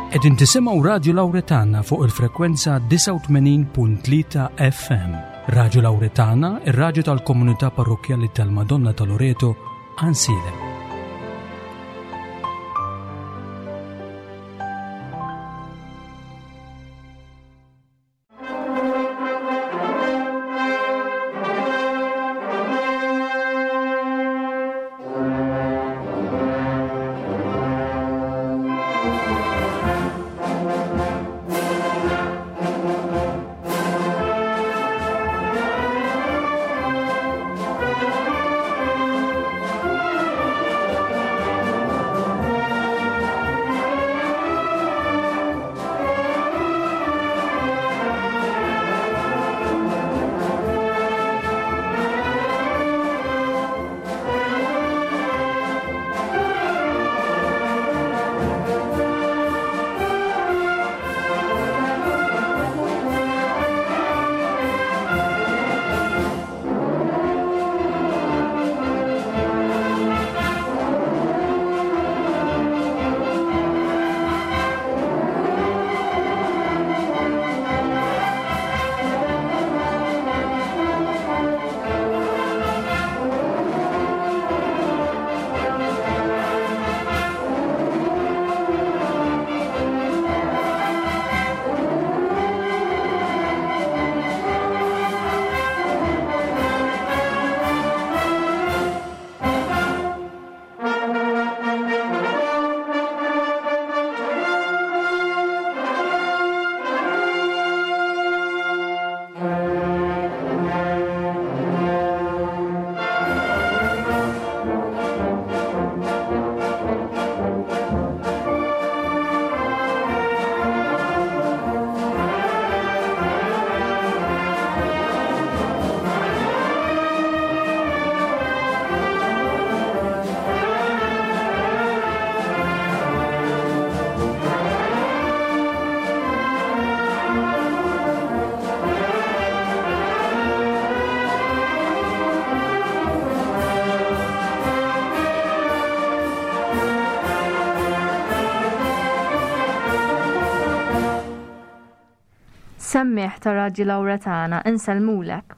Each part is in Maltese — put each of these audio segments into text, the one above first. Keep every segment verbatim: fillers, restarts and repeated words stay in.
Qegħdin tisimgħu Radju Lawretana fuq il-frekwenza disgħa u tmenin punt tlieta F M. Radju Lawretana, ir-radju tal-komunità parrokkjali tal-Madonna ta' Loreto, Għajnsielem. Semmiħ ta' Radju Lawretana insellmulek.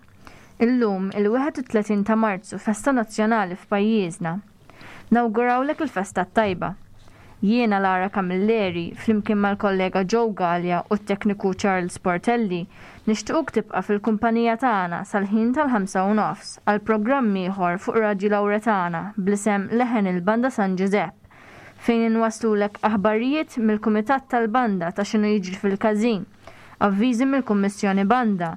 Illum il-wieħed u tletin ta' Marzu festa nazzjonali f'pajjiżna. Nawgurawlek il-festa t-tajba. Jiena Lara Camilleri flimkien mal-kollega Joe Galea u t-tekniku Charles Portelli nixtiequk tibqa' fil-kumpanija tagħna sal-ħin tal-ħamsa u nofs għal programm ieħor fuq Radju Lawretana bl-isem Leħen il-Banda San Ġużepp, fejn inwaslulek aħbarijiet mill-Kumitat tal-Banda ta' x'inhu jiġri fil-każin, avviżi mill-Kummissjoni Banda,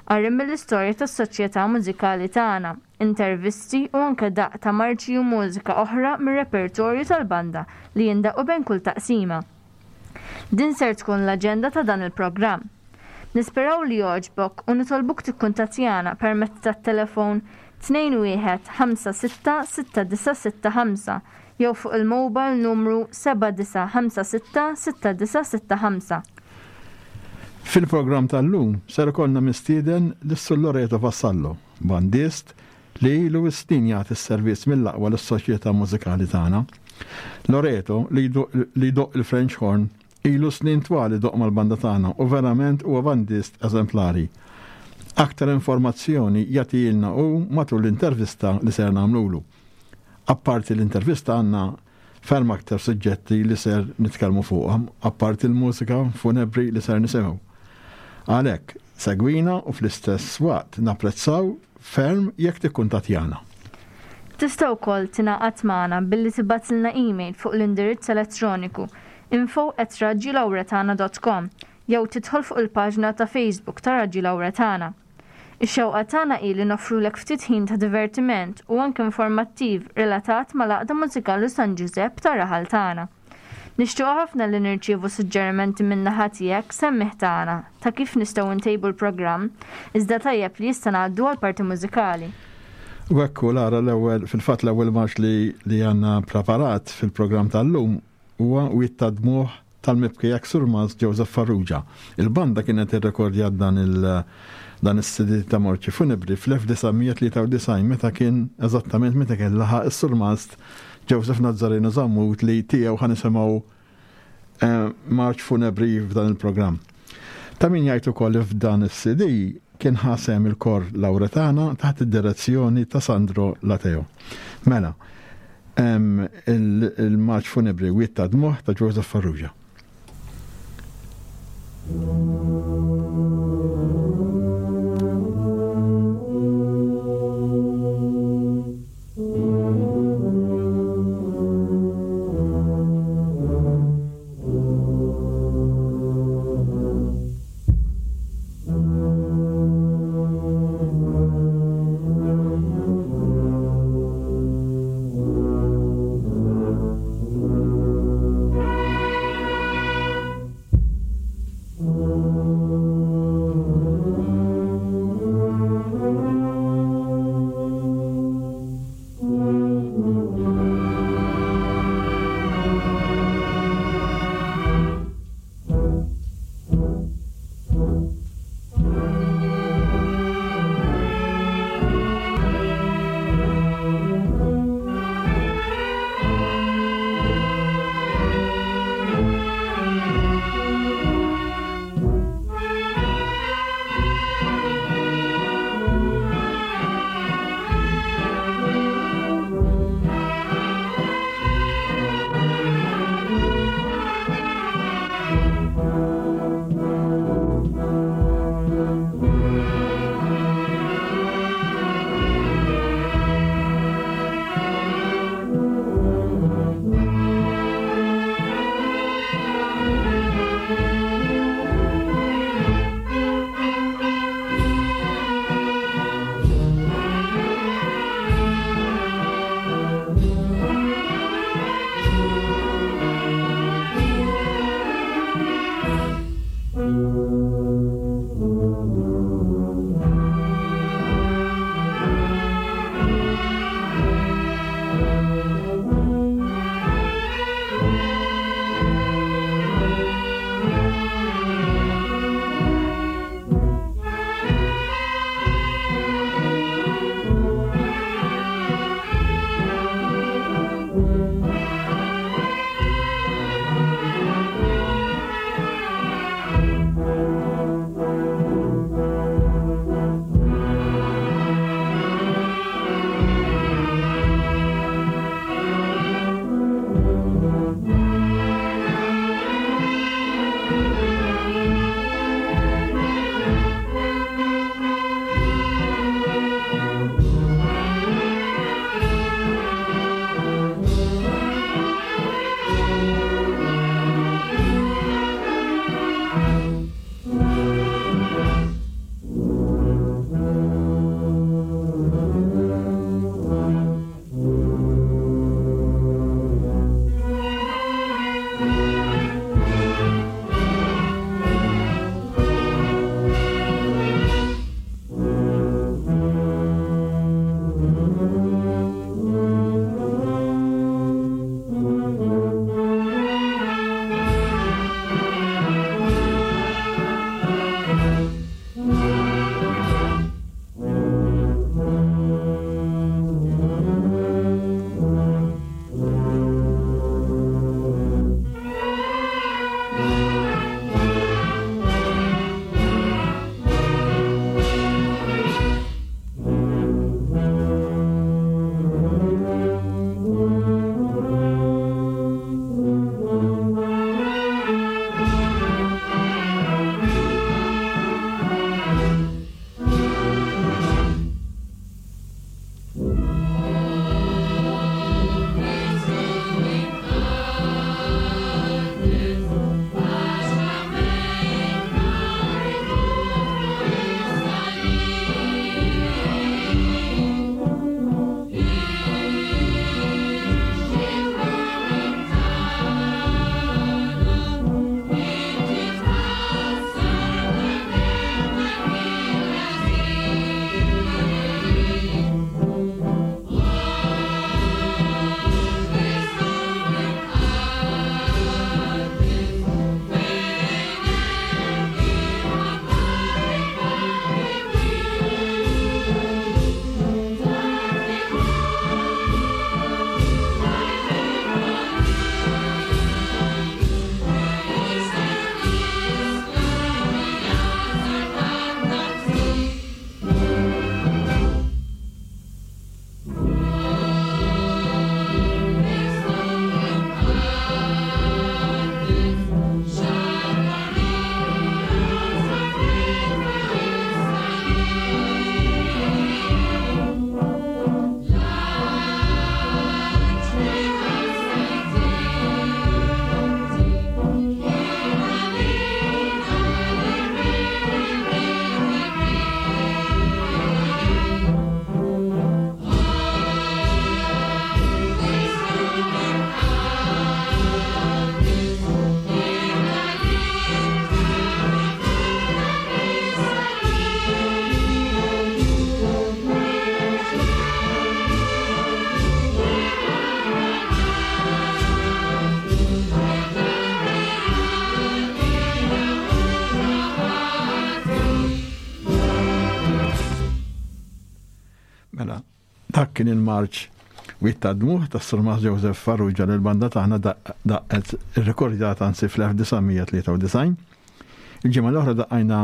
qari mill-istorja tas-soċjetà mużikali tagħna, intervisti u anke daqq ta' marċi u mużika oħra mir-repertorju tal-banda li jindaqqu bejn kull taqsima. Din ser tkun l-aġenda ta' dan il-programm. Nisperaw li jogħġbok u nitolbuk tikkuntattjana permezz tat-telefon tnejn wieħed ħamsa sitta sitta disa' sitta ħamsa jew fuq il-mobile numru seba' disa' ħamsa sitta sitta disa' sitta ħamsa. Fil-programm tal-lum ser ikollna mistieden lis-Sur Loreto Vassallo, bandist li ilu snin jagħti s-servizz mill-aqwa lis-soċjetà mużikali tagħna. Loreto li jdoqq il-French horn ilu snin twal idoqq mal-banda tagħna u verament huwa bandist eżemplari. Aktar informazzjoni jagħtilna hu matul l-intervista li ser nagħmlulu. Apparti l-intervista għandna ferm aktar suġġetti li ser nitkellmu fuqhom, apparti l-mużika funebri li ser nisimgħu. Għalhekk, segwina u fl-istess waqt napprezzaw ferm jekk tikkuntattjana. Tista' wkoll tingħaqad magħna billi tibgħatilna email fuq l-indirizz elettroniku info at radju lawretana dot com jew tidħol fuq il-paġna ta' Facebook ta' Radju Lawretana. Ix-xewqa tagħna hi li noffrulek ftit ħin ta' divertiment u anke informattiv relatat mal-Għaqda Mużikali San Ġużepp ta' raħal tagħna. Nixtiequ ħafna li nirċievu suġġerimenti min-naħa tiegħek semmiħ tagħna ta' kif nistgħu ntejbu l-programm, iżda tajjeb li issa ngħaddu għal parti mużikali. U hekk hu, Lara, l-ewwel, fil-fatt l-ewwel marx li, li għandna preparat fil-programm tal-lum huwa Wied ta' Dmugħ tal-mibki ex-Surmast Joseph Farrugia. Il-banda kienet irrekordjat dan il-, dan is-C D ta' Marċi Funebri fl-elf disa' mija tlieta u disgħin meta kien eżattament meta kien laħaq is-Surmast Joseph Nazzareno Zammut li tiegħu ħa nisimgħu eh, marċ funebri f'dan il-programm. Ta' min jgħid ukoll li f'dan is-C D kien ħasem il-kor Lauretana taħt id-direzzjoni ta' Sandro Lateo. Mela, il-marċ funebri Wied ta' Dmugħ ta' Joseph Farrugia. Thank Dak kien il-marċ Wied tad-Dmugħ tas-Surmast Joseph Farrugia li l-banda tagħna daqqet irrekordjata anzi fl-elf disa' mija tlieta u disgħin. Il-ġimgħa l-oħra daqqajna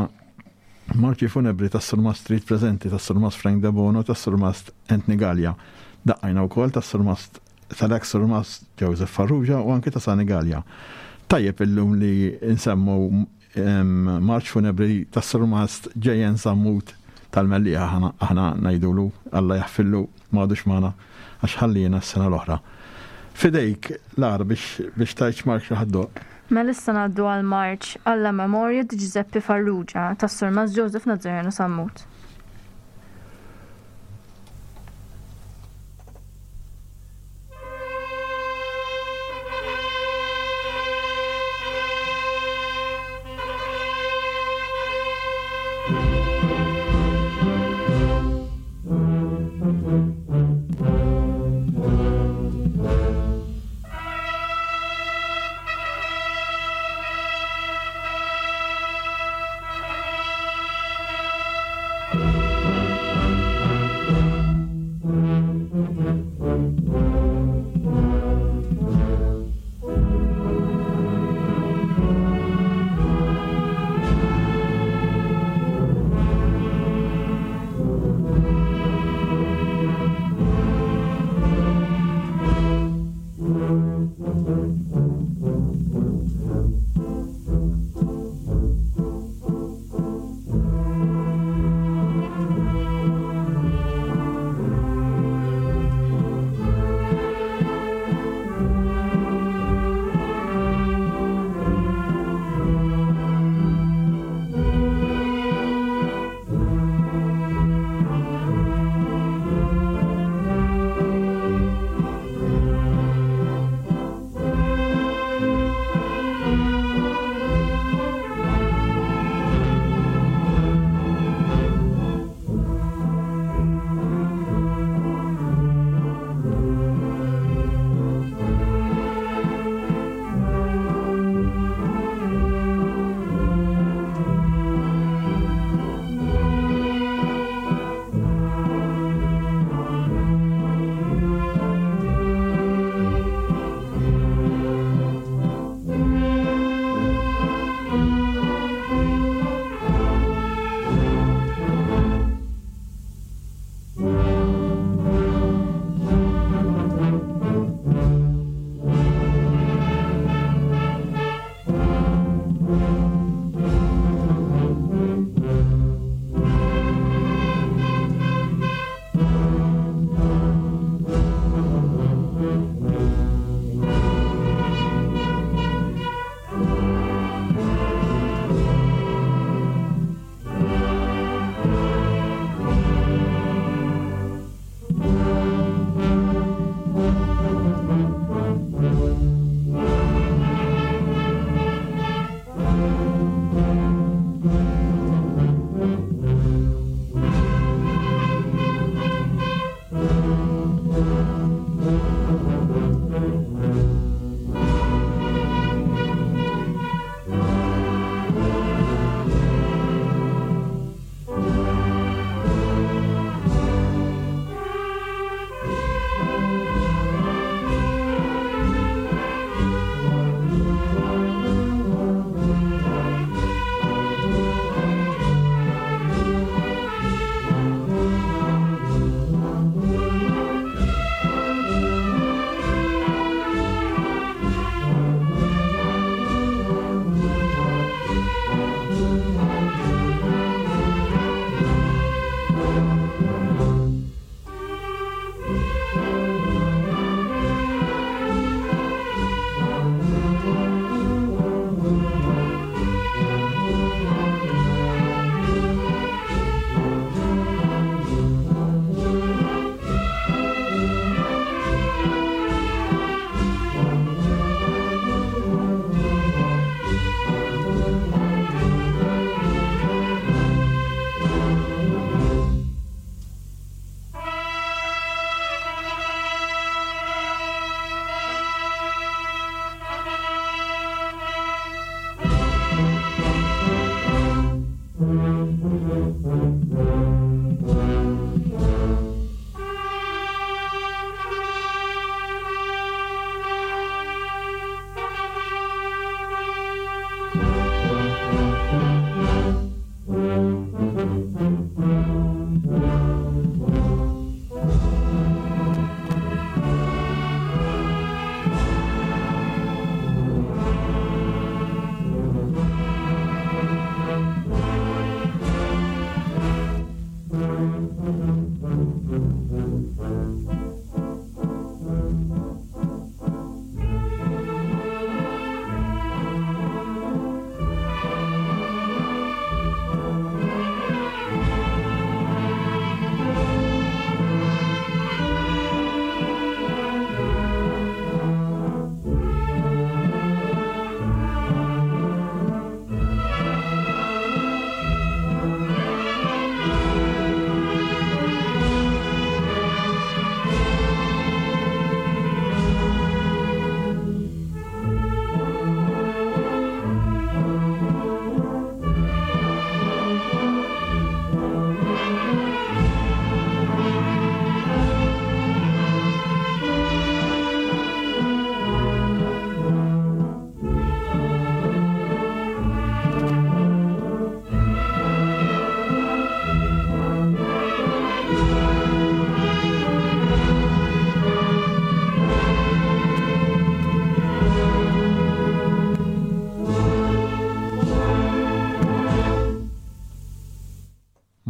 marċi funebri tas-Surmast Street preżenti tas-Surmast Frank Debono tas-Surmast Anthony Gallia. Daqqajna wkoll tas-Surmast tal-ex Surmast Joseph Farrugia u anki ta' Sani Gallia. Tajjeb illum li nsemmu marċ funebri tas-Surmast J N Sammut tal-Mellieħa, aħna, aħna ngħidulu Alla jaħfillu m'għadux magħna għax ħallina s-sena l-oħra. Fidejk, Lara, biex, biex tgħid x'marċ li ħaddoq. Mela issa ngħaddu għal marċ alla memorja di Giuseppe Farrugia tas-Surmast Joseph Nazzareno Sammut.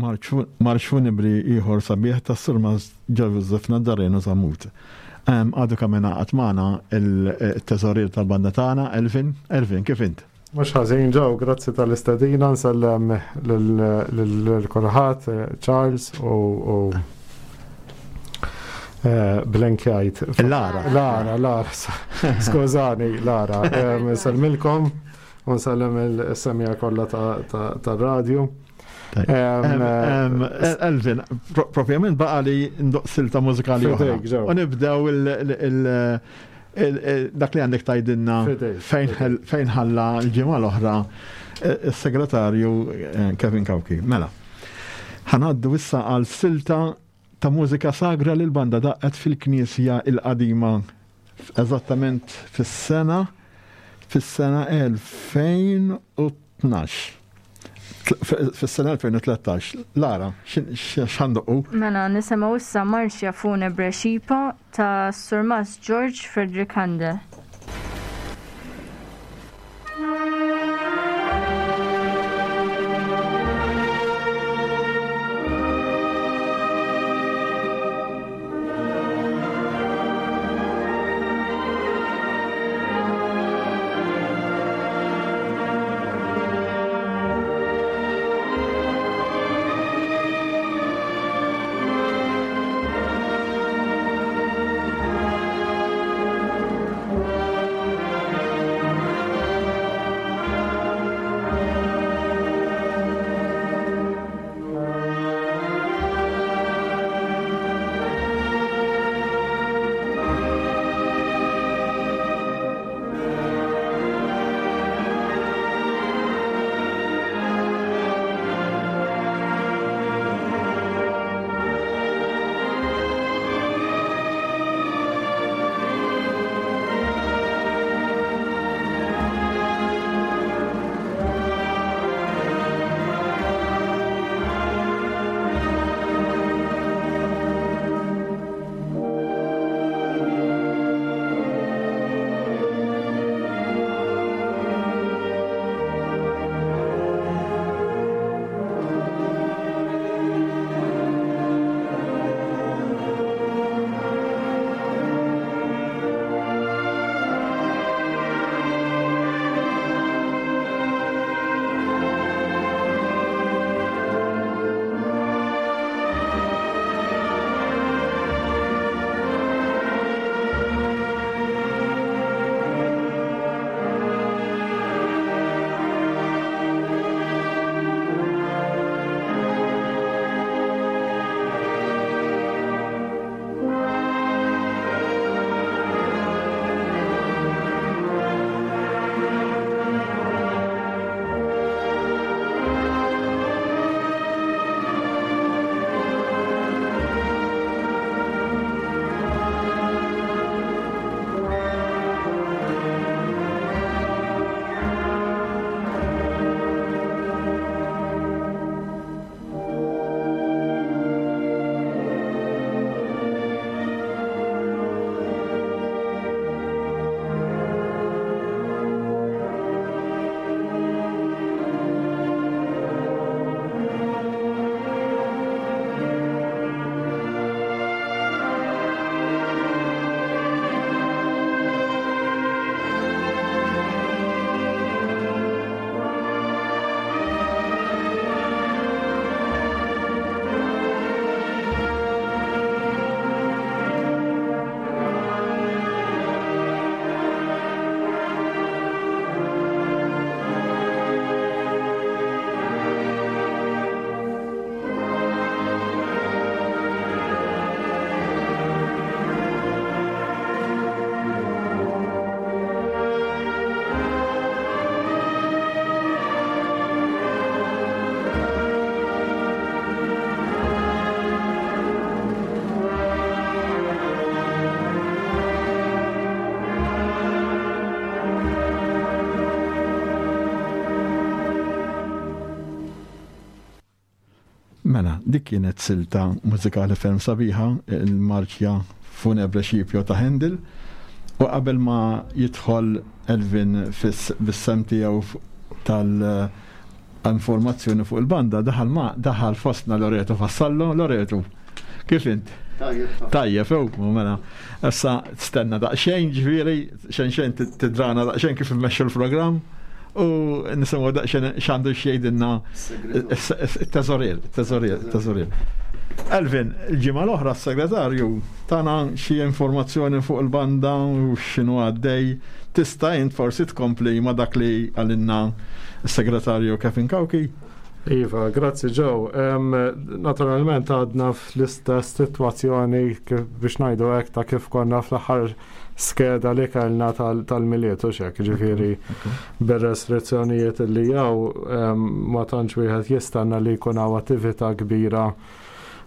Marċ funebri ieħor sabiħ tas-Surmast Joseph Nazzareno Sammut. Għadu kemm ingħaqad magħna il-teżorier tal-banda tagħna, Elvin. Elvin, kif int? Mhux ħażin ġew, grazzi tal-istedina, nsellem lil kulħadd, Charles u blenkjajt. Lara. Lara, Lara, skużani, Lara. Nsellmilkom u nsellem il-semija kollha tar-radju. Elvin, propjament baqa li ndoqq silta mużikali oħra. U nibdew dak li għandek tgħidilna fejn ħalla l-ġimgħa l-oħra il-segretarju Kevin Cauchi. Mela, ħa ngħaddu issa għal silta ta' mużika sagra li l-banda daqqet fil-Knisja il-qadima eżattament fis-sena fis-sena elfejn u tnax. Fis-sena elfejn u tlettax. Lara, x'ħa ndoqqu? Mela, nisimgħu issa Marcia Funebre Xipa ta' Surmast George Frederick Handel. Mela, dik kienet silta mużikali ferm sabiħa, il-Marċja Funebre Scipio ta' Handel, u qabel ma jidħol Elvin bis-sem tiegħu tal Informazzjoni fuq il-banda daħal ma daħal fostna Loreto Vassallo. Loreto, kif int? Tajjeb, ew, mela. Issa stenna daqsxejn, ġifieri, xejn xejn tidrana daqsxejn kif immexxu l-programm u nisimgħu daqsxejn x'għandu x'jgħidilna it-teżorier, it-teżorier, it-teżorier. Elvin, il-ġimgħa l-oħra s-segretarju tana xi informazzjoni fuq il-banda u x'inhu għaddej. Tista' int forsi tkompli ma' dak li għalinna s-segretarju Kevin Cauchi? Iva, grazzi Joe. Um, naturalment għadna fl-istess situazzjoni biex ngħidu hekk ta' kif konna fl-aħħar skeda li kellna tal-Milied u xek, ġifieri bir-restrizzjonijiet li jaw um, ma tantx wieħed jistenna li jkun hawn attività kbira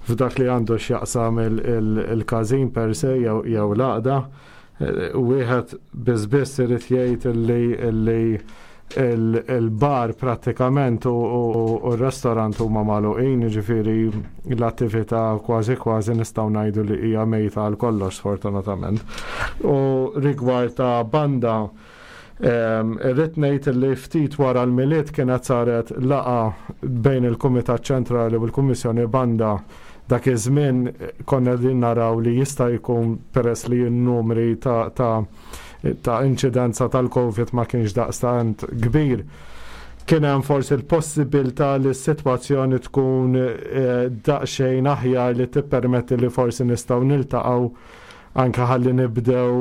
f'dak li għandu x'jaqsam il-każin per se jew l-għaqda. Wieħed biss biss irid jgħid li il-bar prattikament u r-restorant huma magħluqin, ġifieri l-attività kważi kważi nistgħu ngħidu li hija mejta għal kollox, sfortunatament. U rigward ta' banda, irrid ngħid li ftit wara l-Milied kienet saret laqgħa bejn il-Kumitat Ċentrali u l-Kummissjoni Banda. Dak iż-żmien konna din naraw li jista' jkun, peress li n-numri ta' ta' ta' inċidenza tal-Covid ma kienx daqstant kbir, kien hemm forsi l-possibilità li s-sitwazzjoni tkun eh, daqsxejn aħjar li tippermetti li forsi nistgħu niltaqgħu anke ħalli nibdew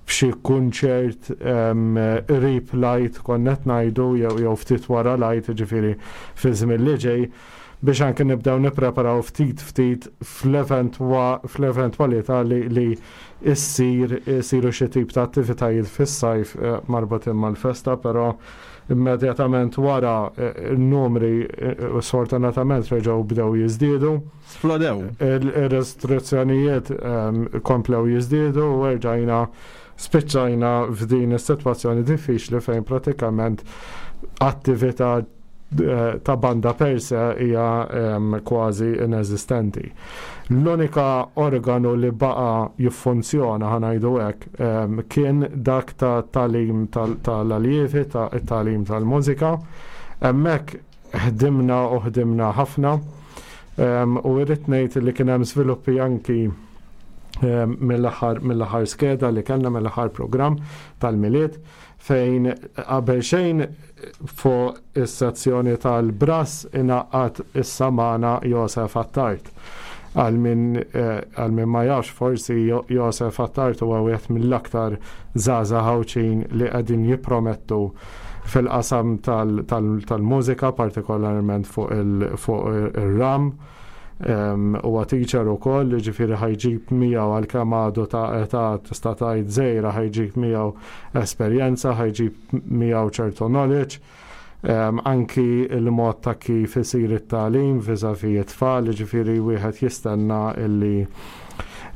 b'xi kunċert qrib l-Għid, konna qed ngħidu, jew jew ftit wara l-Għid, ġifieri fi żmien li ġej, biex anke nibdew nippreparaw ftit ftit fl-eventwalità li li issir isiru xi tip ta' attivitajiet fis-sajf eh, marbutin mal-festa, però immedjatament wara eh, n-numri eh, sfortunatament reġgħu bdew jiżdiedu. Splodew. Il-restrizzjonijiet ehm, komplew jiżdiedu u erġajna spiċċajna f'din is-sitwazzjoni diffiċli fejn pratikament attività eh, ta' banda per se hija ehm, kważi ineżistenti. L-unika organu li baqa jiffunzjona, ħa ngħidu hekk, ehm, kien dak ta' tagħlim tal-aljievi, ta' tagħlim tal-mużika. Hemmhekk ħdimna u ħdimna ħafna ehm, u irrid ngħid li kien hemm żviluppi anki mill-aħħar mill-aħħar skeda li kellna, mill-aħħar programm tal-Milied, fejn qabel xejn fuq is-sezzjoni tal-brass ingħaqad issa magħna Josef Attard. Għal min eh, għal min ma jafx forsi, Josef Attard huwa wieħed mill-aktar żgħażagħ Għawdxin li qegħdin jippromettu fil-qasam tal-mużika, partikolarment fuq ir-ram. Huwa teacher ukoll, ġifieri ħa jġib miegħu, għalkemm għadu ta' età tista' tgħid żgħira, ħa jġib miegħu esperjenza, ħa jġib miegħu ċertu knowledge. Um, anki il-mod ta' kif isir it-tagħlim vis-à-vis it-tfal, ġifieri wieħed jistenna illi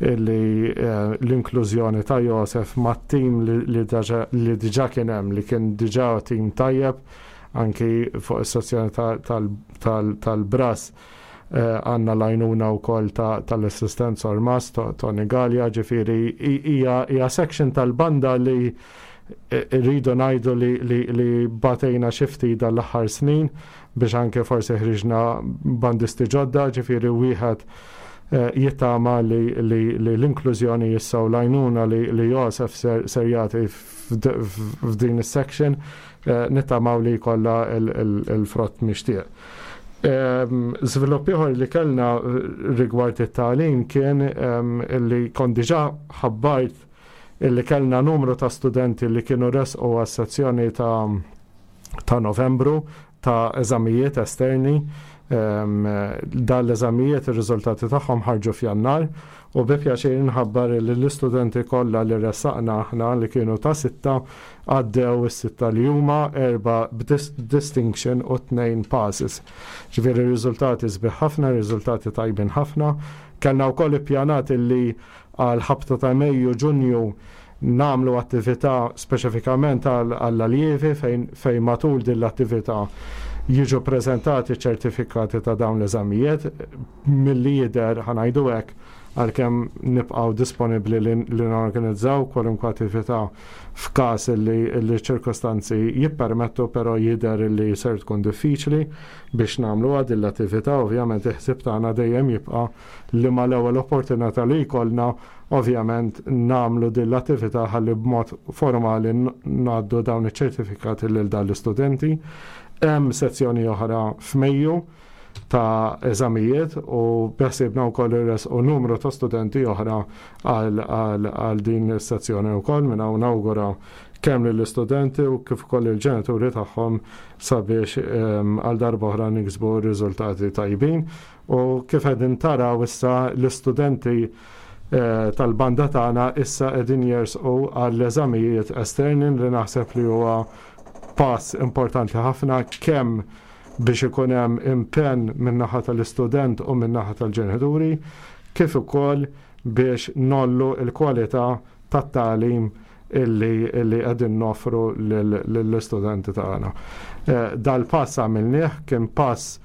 illi uh, l-inklużjoni ta' Josef ma' tim li, li diġà kien hemm, li kien diġà tim tajjeb anki fuq is-sezzjoni tal-brass, eh, għandna l-għajnuna wkoll tal-assistent Ormas, Tony Gallia, ġifieri hija section tal-banda li eh, rridu ngħidu li, li, li batejna xi ftit dal-aħħar snin biex anke forsi ħriġna bandisti ġodda, ġifieri wieħed eh, jittama li, li, li l-inklużjoni issa u l-għajnuna li, li Josef ser, ser jagħti f'din is-section, nittamaw li jkollha il-frott mixtieq. Żvilupp ieħor li kellna rigward it-tagħlim kien illi kont diġà ħabbart illi kellna numru ta' studenti li kienu resqu għas-sezzjoni ta' ta' Novembru ta' eżamijiet esterni. Dan l-eżamijiet, ir-riżultati tagħhom ħarġu f'Jannar u bi pjaċir nħabbar li l-istudenti kollha li ressaqna aħna, li kienu ta' sitta, għaddew is-sitta li huma, erba' b'distinction u tnejn passes. Ġifieri riżultati sbieħ ħafna, riżultati tajbin ħafna. Kellna wkoll ippjanat illi għal ħabta ta' Mejju, Ġunju nagħmlu attività speċifikament għall-aljievi fejn fejn matul din l-attività jiġu prezentati ċertifikati ta' dawn l-eżamijiet. Milli jidher, ħa ngħidu hekk, Għalkemm nibqgħu disponibbli li, li norganizzaw kwalunkwe attività f'każ li l-ċirkostanzi jippermettu, però jidher li ser tkun diffiċli biex nagħmlu din l-attività. Ovvjament il-ħsieb tagħna dejjem jibqa' li mal-ewwel opportunità li jkollna, ovvjament, nagħmlu din l-attività ħalli b'mod formali ngħaddu dawn iċ-ċertifikati lil dan l-istudenti. Hemm sezzjoni oħra f'Mejju ta' eżamijiet u beħsiebna wkoll u numru ta' studenti oħra għal din is-sezzjoni wkoll. Minn hawn nawgura kemm lill-istudenti u kif ukoll il-ġenituri tagħhom sabiex għal darba oħra niksbu riżultati tajbin. U kif qegħdin taraw issa, l-istudenti eh, tal-banda tagħna issa qegħdin jersqu għall-eżamijiet esterni, li naħseb li huwa pass importanti ħafna kemm biex ikun hemm impenn min-naħa tal-istudent u min-naħa tal-ġenituri, kif ukoll biex ngħollu l-kwalità tat-tagħlim illi illi qegħdin noffru lill-istudenti tagħna. Eh, dal-pass għamilnieh, kien pass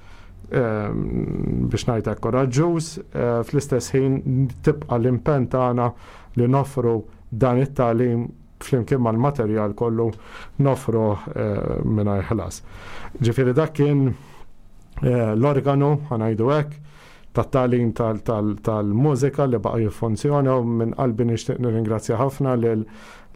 eh, biex ngħidlek koraġġuż, eh, fl-istess ħin tibqa' l-impenn tagħna li noffru dan it-tagħlim flimkien mal-materjal kollu noffru mingħajr ħlas. Ġifieri dak kien l-organu, ħa ngħidu hekk, tat-tagħlim tal-mużika li baqa' jiffunzjona, u minn qalbi nixtieq nirringrazzja ħafna lil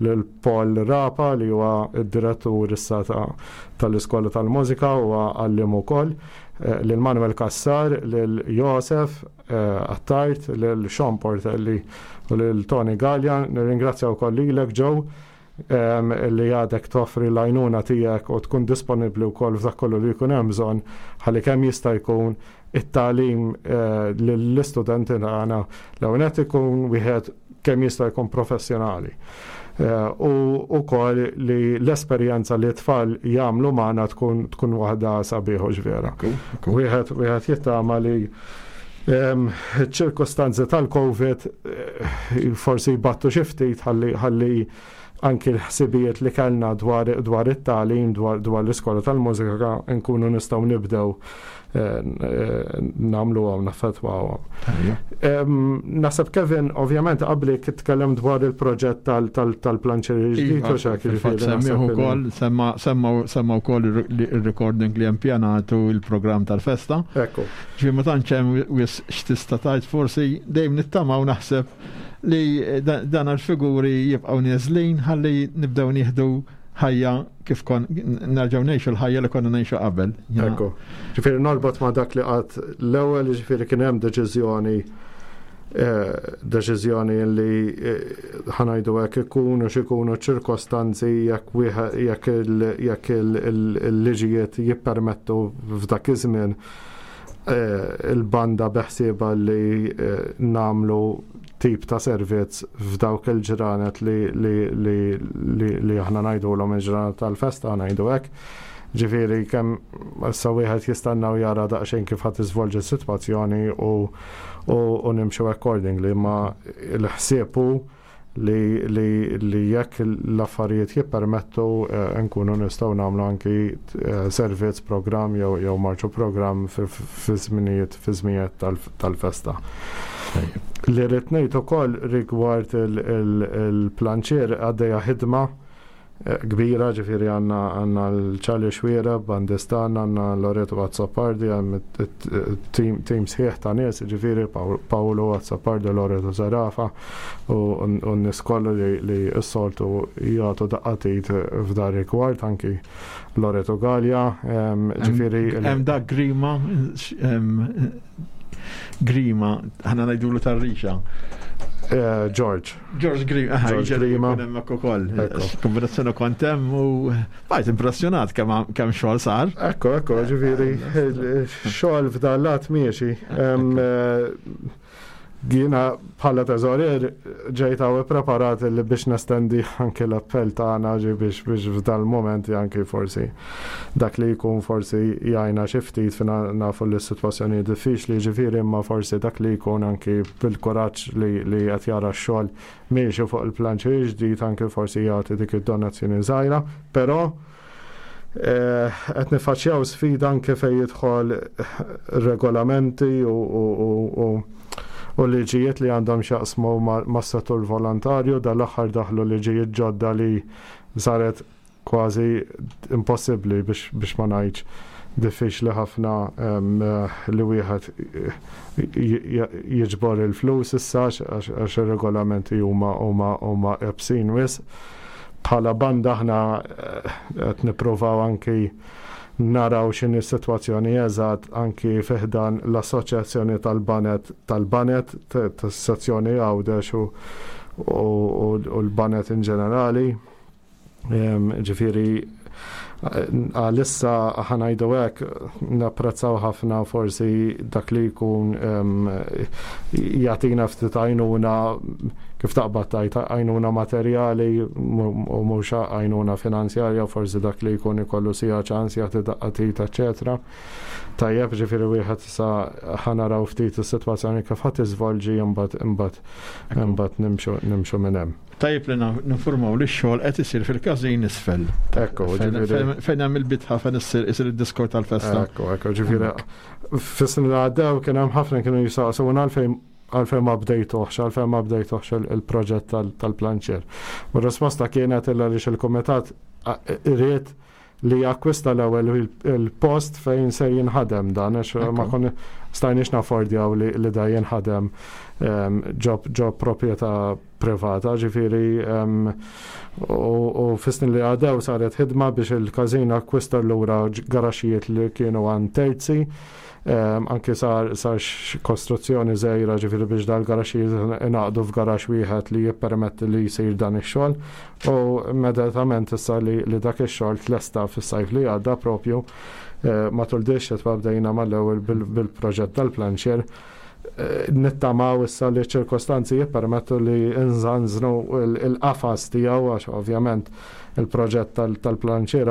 lil Paul Rapa, li huwa id-direttur issa tal-Iskola tal-Mużika u għalliem ukoll, eh, lil Manuel Cassar, lil Josef eh, Attard, lil Sean Portelli u lil Tony Gallia. Nirringrazzja wkoll lilek, Joe, li għadek toffri l-għajnuna tiegħek u tkun disponibbli wkoll f'dak kollu li jkun hemm bżonn ħalli kemm jista' jkun it-tagħlim eh, lill-istudenti tagħna l ikun wieħed kemm jista' jkun professjonali. Eh, u wkoll li l-esperjenza li t-tfal jagħmlu magħna tkun tkun waħda sabiħa ġvera. Wieħed wieħed jittama li ċirkostanzi tal-Covid eh, forsi jbattu xi ftit ħalli anki l-ħsibijiet li kellna dwar, dwar it-tagħlim, dwar, dwar l-iskola tal-mużika, nkunu nistgħu nibdew eh, eh, nagħmlu għaw naffetwaw. Naħseb, Kevin, ovvjament qabli tkellem dwar il-proġett tal-planċeri ġdid u xek. Semmiħu ukoll, semma wkoll il-recording li hemm pjanatu, il-programm tal-festa. Ekku. Ġifieri ma tantx hemm x'tista' tgħid, forsi dejjem nittamaw, naħseb, li dan għal-figuri jibqgħu neżlin ħalli nibdew nieħdu ħajja kif kon nerġgħu ngħixu l-ħajja li konna ngħixu qabel. Ekku. Ġifieri norbot ma' dak li qatt l-ewwel, ġifieri kien hemm deċiżjoni eh, deċiżjoni li eh, ħa ngħidu hekk, ikunu x'ikunu ċirkostanzi, jekk jekk il-liġijiet jippermettu f'dak iż-żmien, eh, il-banda beħsieba li nagħmlu tip ta' servizz f'dawk il-ġranet li, li, li, li, li aħna ngħidulhom il-ġranet tal-festa, ngħidu hekk. Ġifieri kemm issa wieħed jistenna u jara daqsxejn kif ħadd tiżvolġi s-sitwazzjoni u, u, u nimxu accordingly, ma l-ħsieb hu li, li, li jekk l-affarijiet jippermettu eh, nkunu nistgħu nagħmlu anki eh, servizz programm jew jew marċu programm fi żminijiet fi żminijiet tal-festa. Li rrid ngħid ukoll rigward il-planċier, għaddejja ħidma eh, kbira, ġifieri għandna għandna l-Charlie Xwiera, bandistan, għandna Loreto Azzopardi, għandna team sħiħ ta' nies, ġifieri Paolo Azzopardi, Loreto Zarafa u n-nies kollha li, li s-soltu jagħtu daqqa t'id f'dar rigward, anki Loreto Gallia, ġifieri. Hemm dak Grima, Grima, ħana ngħidulu tar-rixa. Eh, George. George Grima, George Grima. Hemmhekk ukoll. Kombinazzjoni kont hemm u bajt impressjonat kemm kemm xogħol sar. Ekku, ekku, ġifieri, xogħol f'dal-lat miexi. Jiena bħala teżorier ġejt hawn preparat li biex nestendi anke l-appell tagħna ġi biex biex f'dal-moment anke forsi dak li jkun forsi jgħinna xi ftit, fina nafu li s-sitwazzjoni diffiċli, ġifieri, imma forsi dak li jkun anke bil-kuraġġ li li qed jara x-xogħol miexi fuq il-planċi ġdid, anke forsi jagħti dik id-donazzjoni żgħira, però eh, qed nifaċċjaw sfida anke fejn jidħol regolamenti u, u, u, u u liġijiet li għandhom x'jaqsmu mas-settur volontarju. Dal-aħħar daħlu liġijiet ġodda li saret kważi impossibbli biex, biex ma ngħidx diffiċli ħafna li wieħed jiġbor il-flus issa għax ir-regolamenti huma huma huma ebsin wisq. Bħala banda aħna qed nippruvaw anki naraw x'inhi s-sitwazzjoni eżatt anki fi ħdan l-Assoċjazzjoni tal-Banet tal-Banet tas-sezzjoni Għawdex u, u, u l-Banet in ġenerali. Ġifieri għalissa ħanajdu hekk napprezzaw ħafna forsi dak li jkun jagħtina ftit għajnuna kif taqbad tajt għajnuna materjali u mhux għajnuna finanzjarja, forsi dak li jkun ikollu sija ċans jagħti daqqa tit, eċetera. Tajjeb, ġifieri wieħed sa ħanaraw ftit is-sitwazzjoni kif ħadd iżvolġi imbagħad imbagħad imbagħad nimxu nimxu minn hemm. Tajjeb li ninformaw li x-xogħol qed isir fil-każin isfel. Ekku, ġifieri fejn hemm il-bitħa fejn issir isir id-diskor tal-festa. Ekku, ekku, ġifieri fis-snin li għaddew kien hemm ħafna kienu jisaqsuna għalfejn għalfejn ma bdejtuhx, għalfejn ma bdejtuhx il-proġett tal-planċier. U r-risposta kienet illa li il-kumitat irid li jakkwista l-ewwel il-post fejn se jinħadem dan, għax ma kon stajniex naffordjaw li, li da jinħadem ġo ġo proprjetà privata, ġifieri u, u fis-snin li għaddew saret ħidma biex il-każin akkwista lura garaxijiet li kienu għand terzi. Um, anki sar, sar kostruzzjoni żgħira ġifieri biex dal-garaxijiet ingħaqdu f'garax wieħed li jippermetti li jsir dan ix-xogħol, u immedjatament issa li, li dak ix-xogħol tlesta fis-sajf li għadda propju eh, matul di x-xitwa bdejna mal-ewwel bil-proġett tal-planċier. Eh, nittamaw issa li ċirkostanzi jippermettu li nżanżnu il-qafas tiegħu, għax ovvjament il-proġett tal-planċier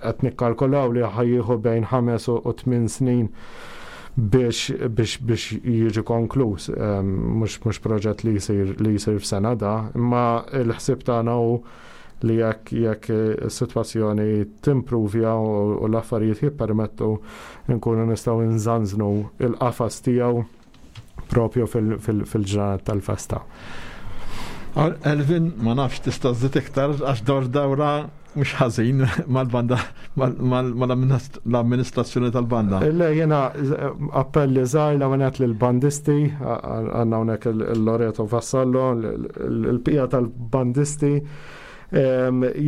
qed nikkalkulaw li ħajjieħu bejn ħames u tmien snin biex biex biex jiġi konkluż. Mhux mhux proġett li jsir li jsir f'sena da, imma l-ħsieb tagħna hu li jekk jekk is-sitwazzjoni timpruvja u l-affarijiet jippermettu nkunu nistgħu nżanżnu il-qafas tiegħu propju fil-ġranet tal-festa. Elvin, ma nafx tista' żżid iktar għax dawr dawra mhux ħażin mal-banda mal-amministrazzjoni tal-banda. Le, jiena appelli żgħar l għanet lill-bandisti, għandna hawnhekk il-Loreto Vassallo, il-bqija tal-bandisti.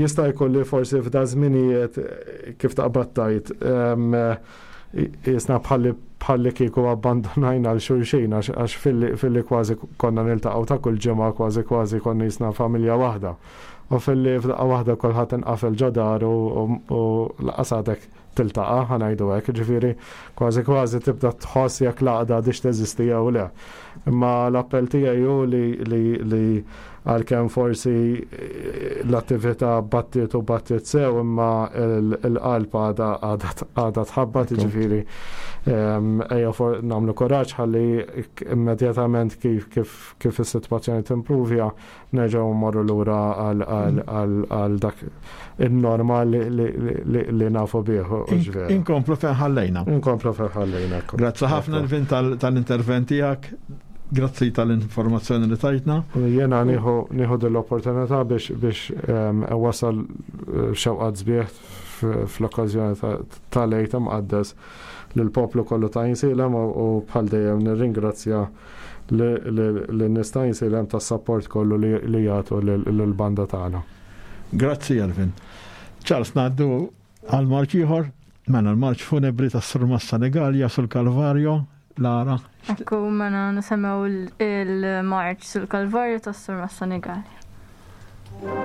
Jista' jkun li forsi f'da żminijiet kif taqbad tajt jisna bħalli bħalli kieku abbandonajna għal xulxin, għax filli kważi konna niltaqgħu ta' kull ġimgħa, kważi kważi konna jisna familja waħda. U filli f'daqqa waħda kulħadd inqafel ġo dar u laqas għadek tiltaqa', ħanajdu hekk, ġifieri kważi kważi tibda tħoss jekk l-għaqda għadix teżisti jew le. Imma l-appell tiegħi hu li li għalkemm forsi l-attività battiet u battiet sew, imma l-qalb għadha tħabbat, ġifieri ejja nagħmlu kuraġġ ħalli immedjatament kif kif kif is-sitwazzjoni timpruvja nerġgħu mmorru lura għal dak in-normal li nafu bih. Inkomplu fejn ħallejna. Inkomplu fejn ħallejna. Grazzi ħafna Elvin tal-intervent tiegħek. Grazzi tal-informazzjoni li tajtna. Jena nieħu l-opportunità biex biex wasal xewqat sbieħ fl-okkażjoni tal-Għid Imqaddes lill-poplu kollu ta' Għajnsielem, u bħal dejjem nirringrazzja lin-nies ta' Għajnsielem tas-sapport kollu li jagħtu lill-banda tagħna. Grazzi Elvin. Charles, ngħaddu għal marċ ieħor, mela l-marċ funebri tas-Surmast Senegalja sul-Kalvarjo. Lara. Ekku, mela nisimgħu il-marċ sul-Kalvarju tas-Surmast Senegalja. Thank you.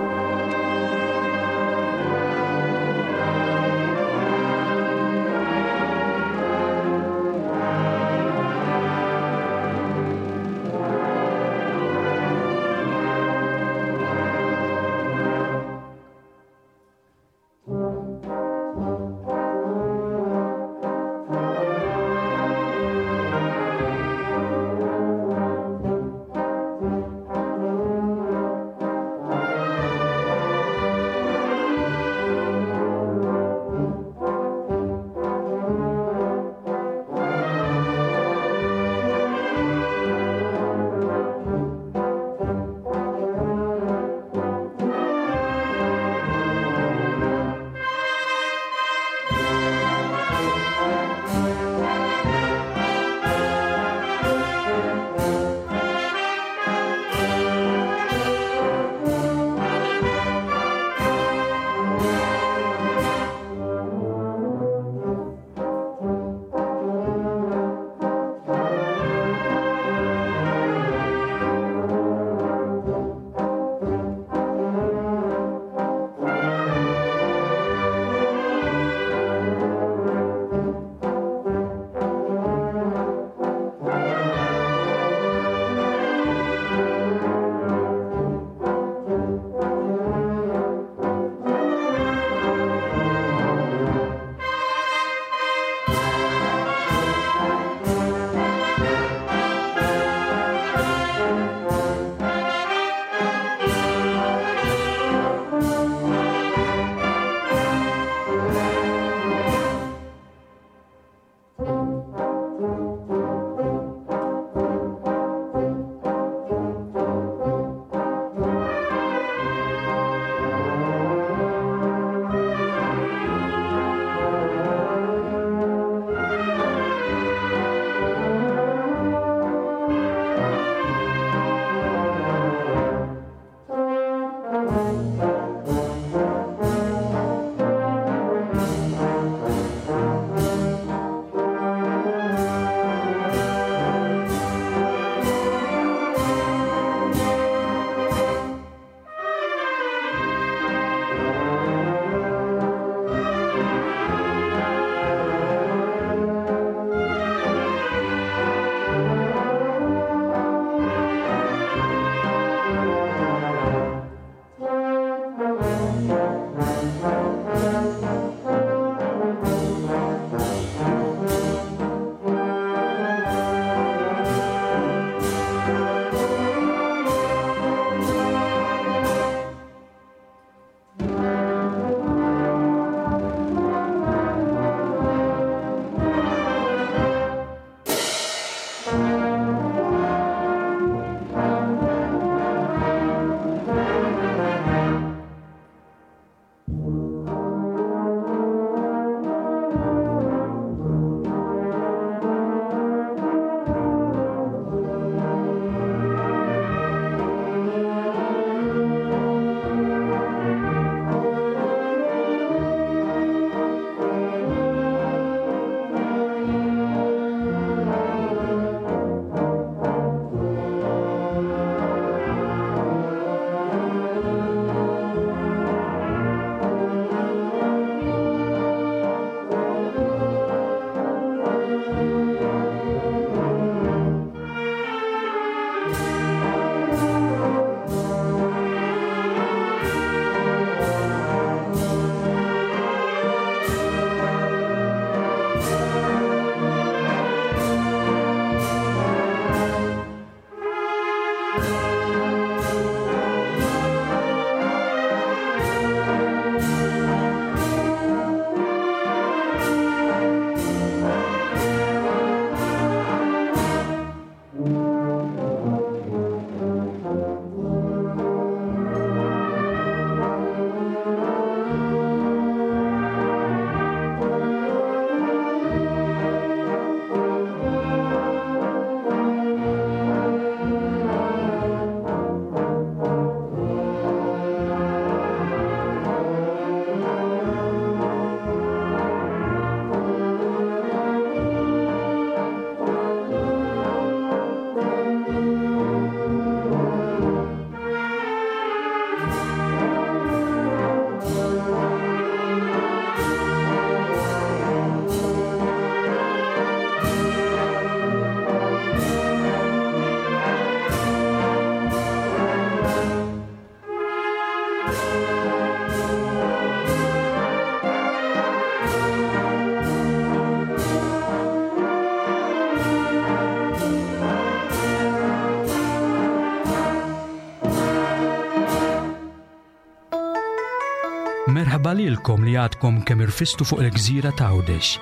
Merħba lilkom li għadkom kemm irfistu fuq il-gżira ta' Għawdex.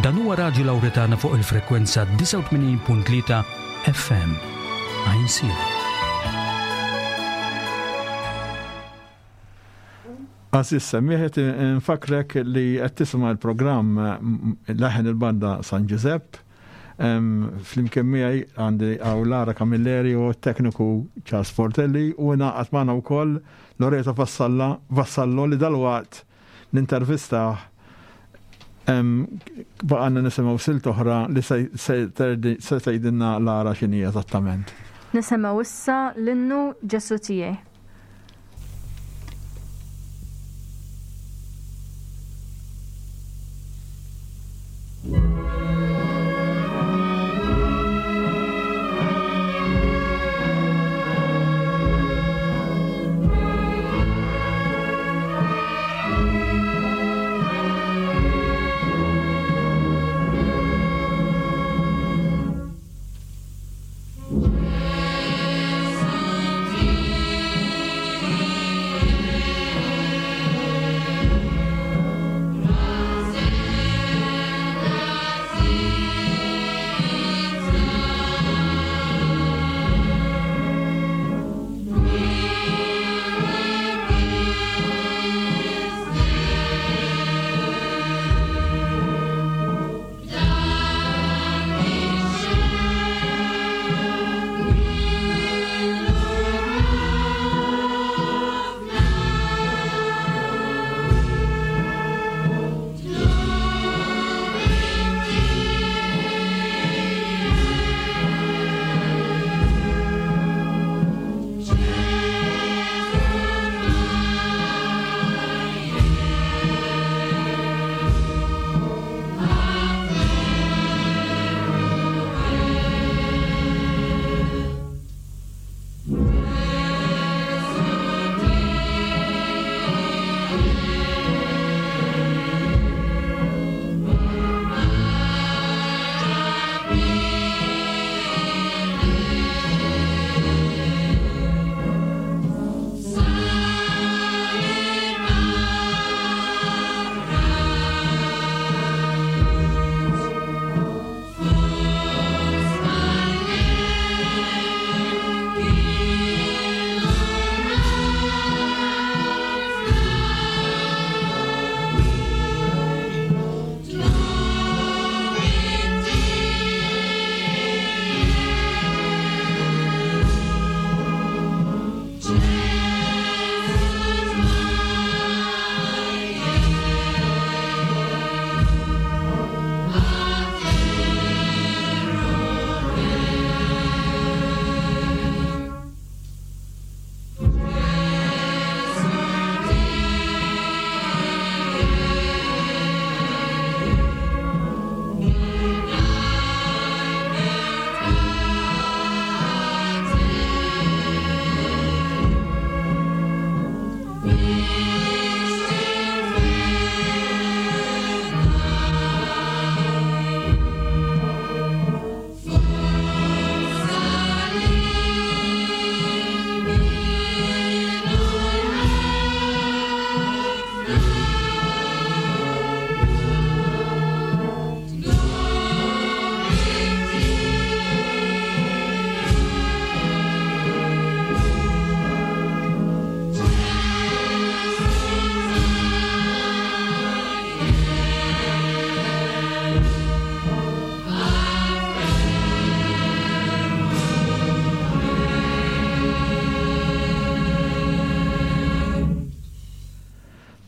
Dan huwa Radju Lawretana fuq il-frekwenza disgħa u tmenin punt tlieta F M. Għajnsielem. Għażiż semmiħet, nfakrek li qed tisma' l-programm Leħen il-Banda San Ġużepp. Flimkien miegħi għandi hawn Lara Camilleri u t-tekniku Charles Portelli u ngħaqad magħna wkoll Loreto Vassalla, Vassallo li dalwaqt nintervistah. Baqgħna nisimgħu silt oħra li se, se terdi, se tgħidilna Lara x'inhi eżattament. Nisimgħu issa l-innu Ġesu tiegħi.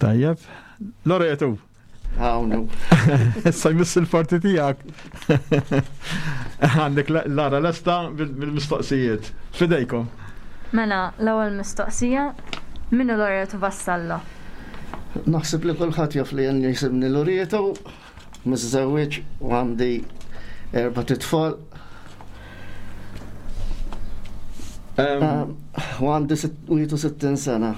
Tajjeb. Loreto. Hawnhu. Issa jmiss il-parti tiegħek. Għandek Lara lesta bil-mistoqsijiet. Fidejkom. Mela, l-ewwel mistoqsija, min hu Loreto Vassallo? Naħseb li kulħadd jaf li jien jisimni Loreto, miżżewweġ u għandi erba' titfal. Em, U għandi sitt-, wieħed u sittin sena.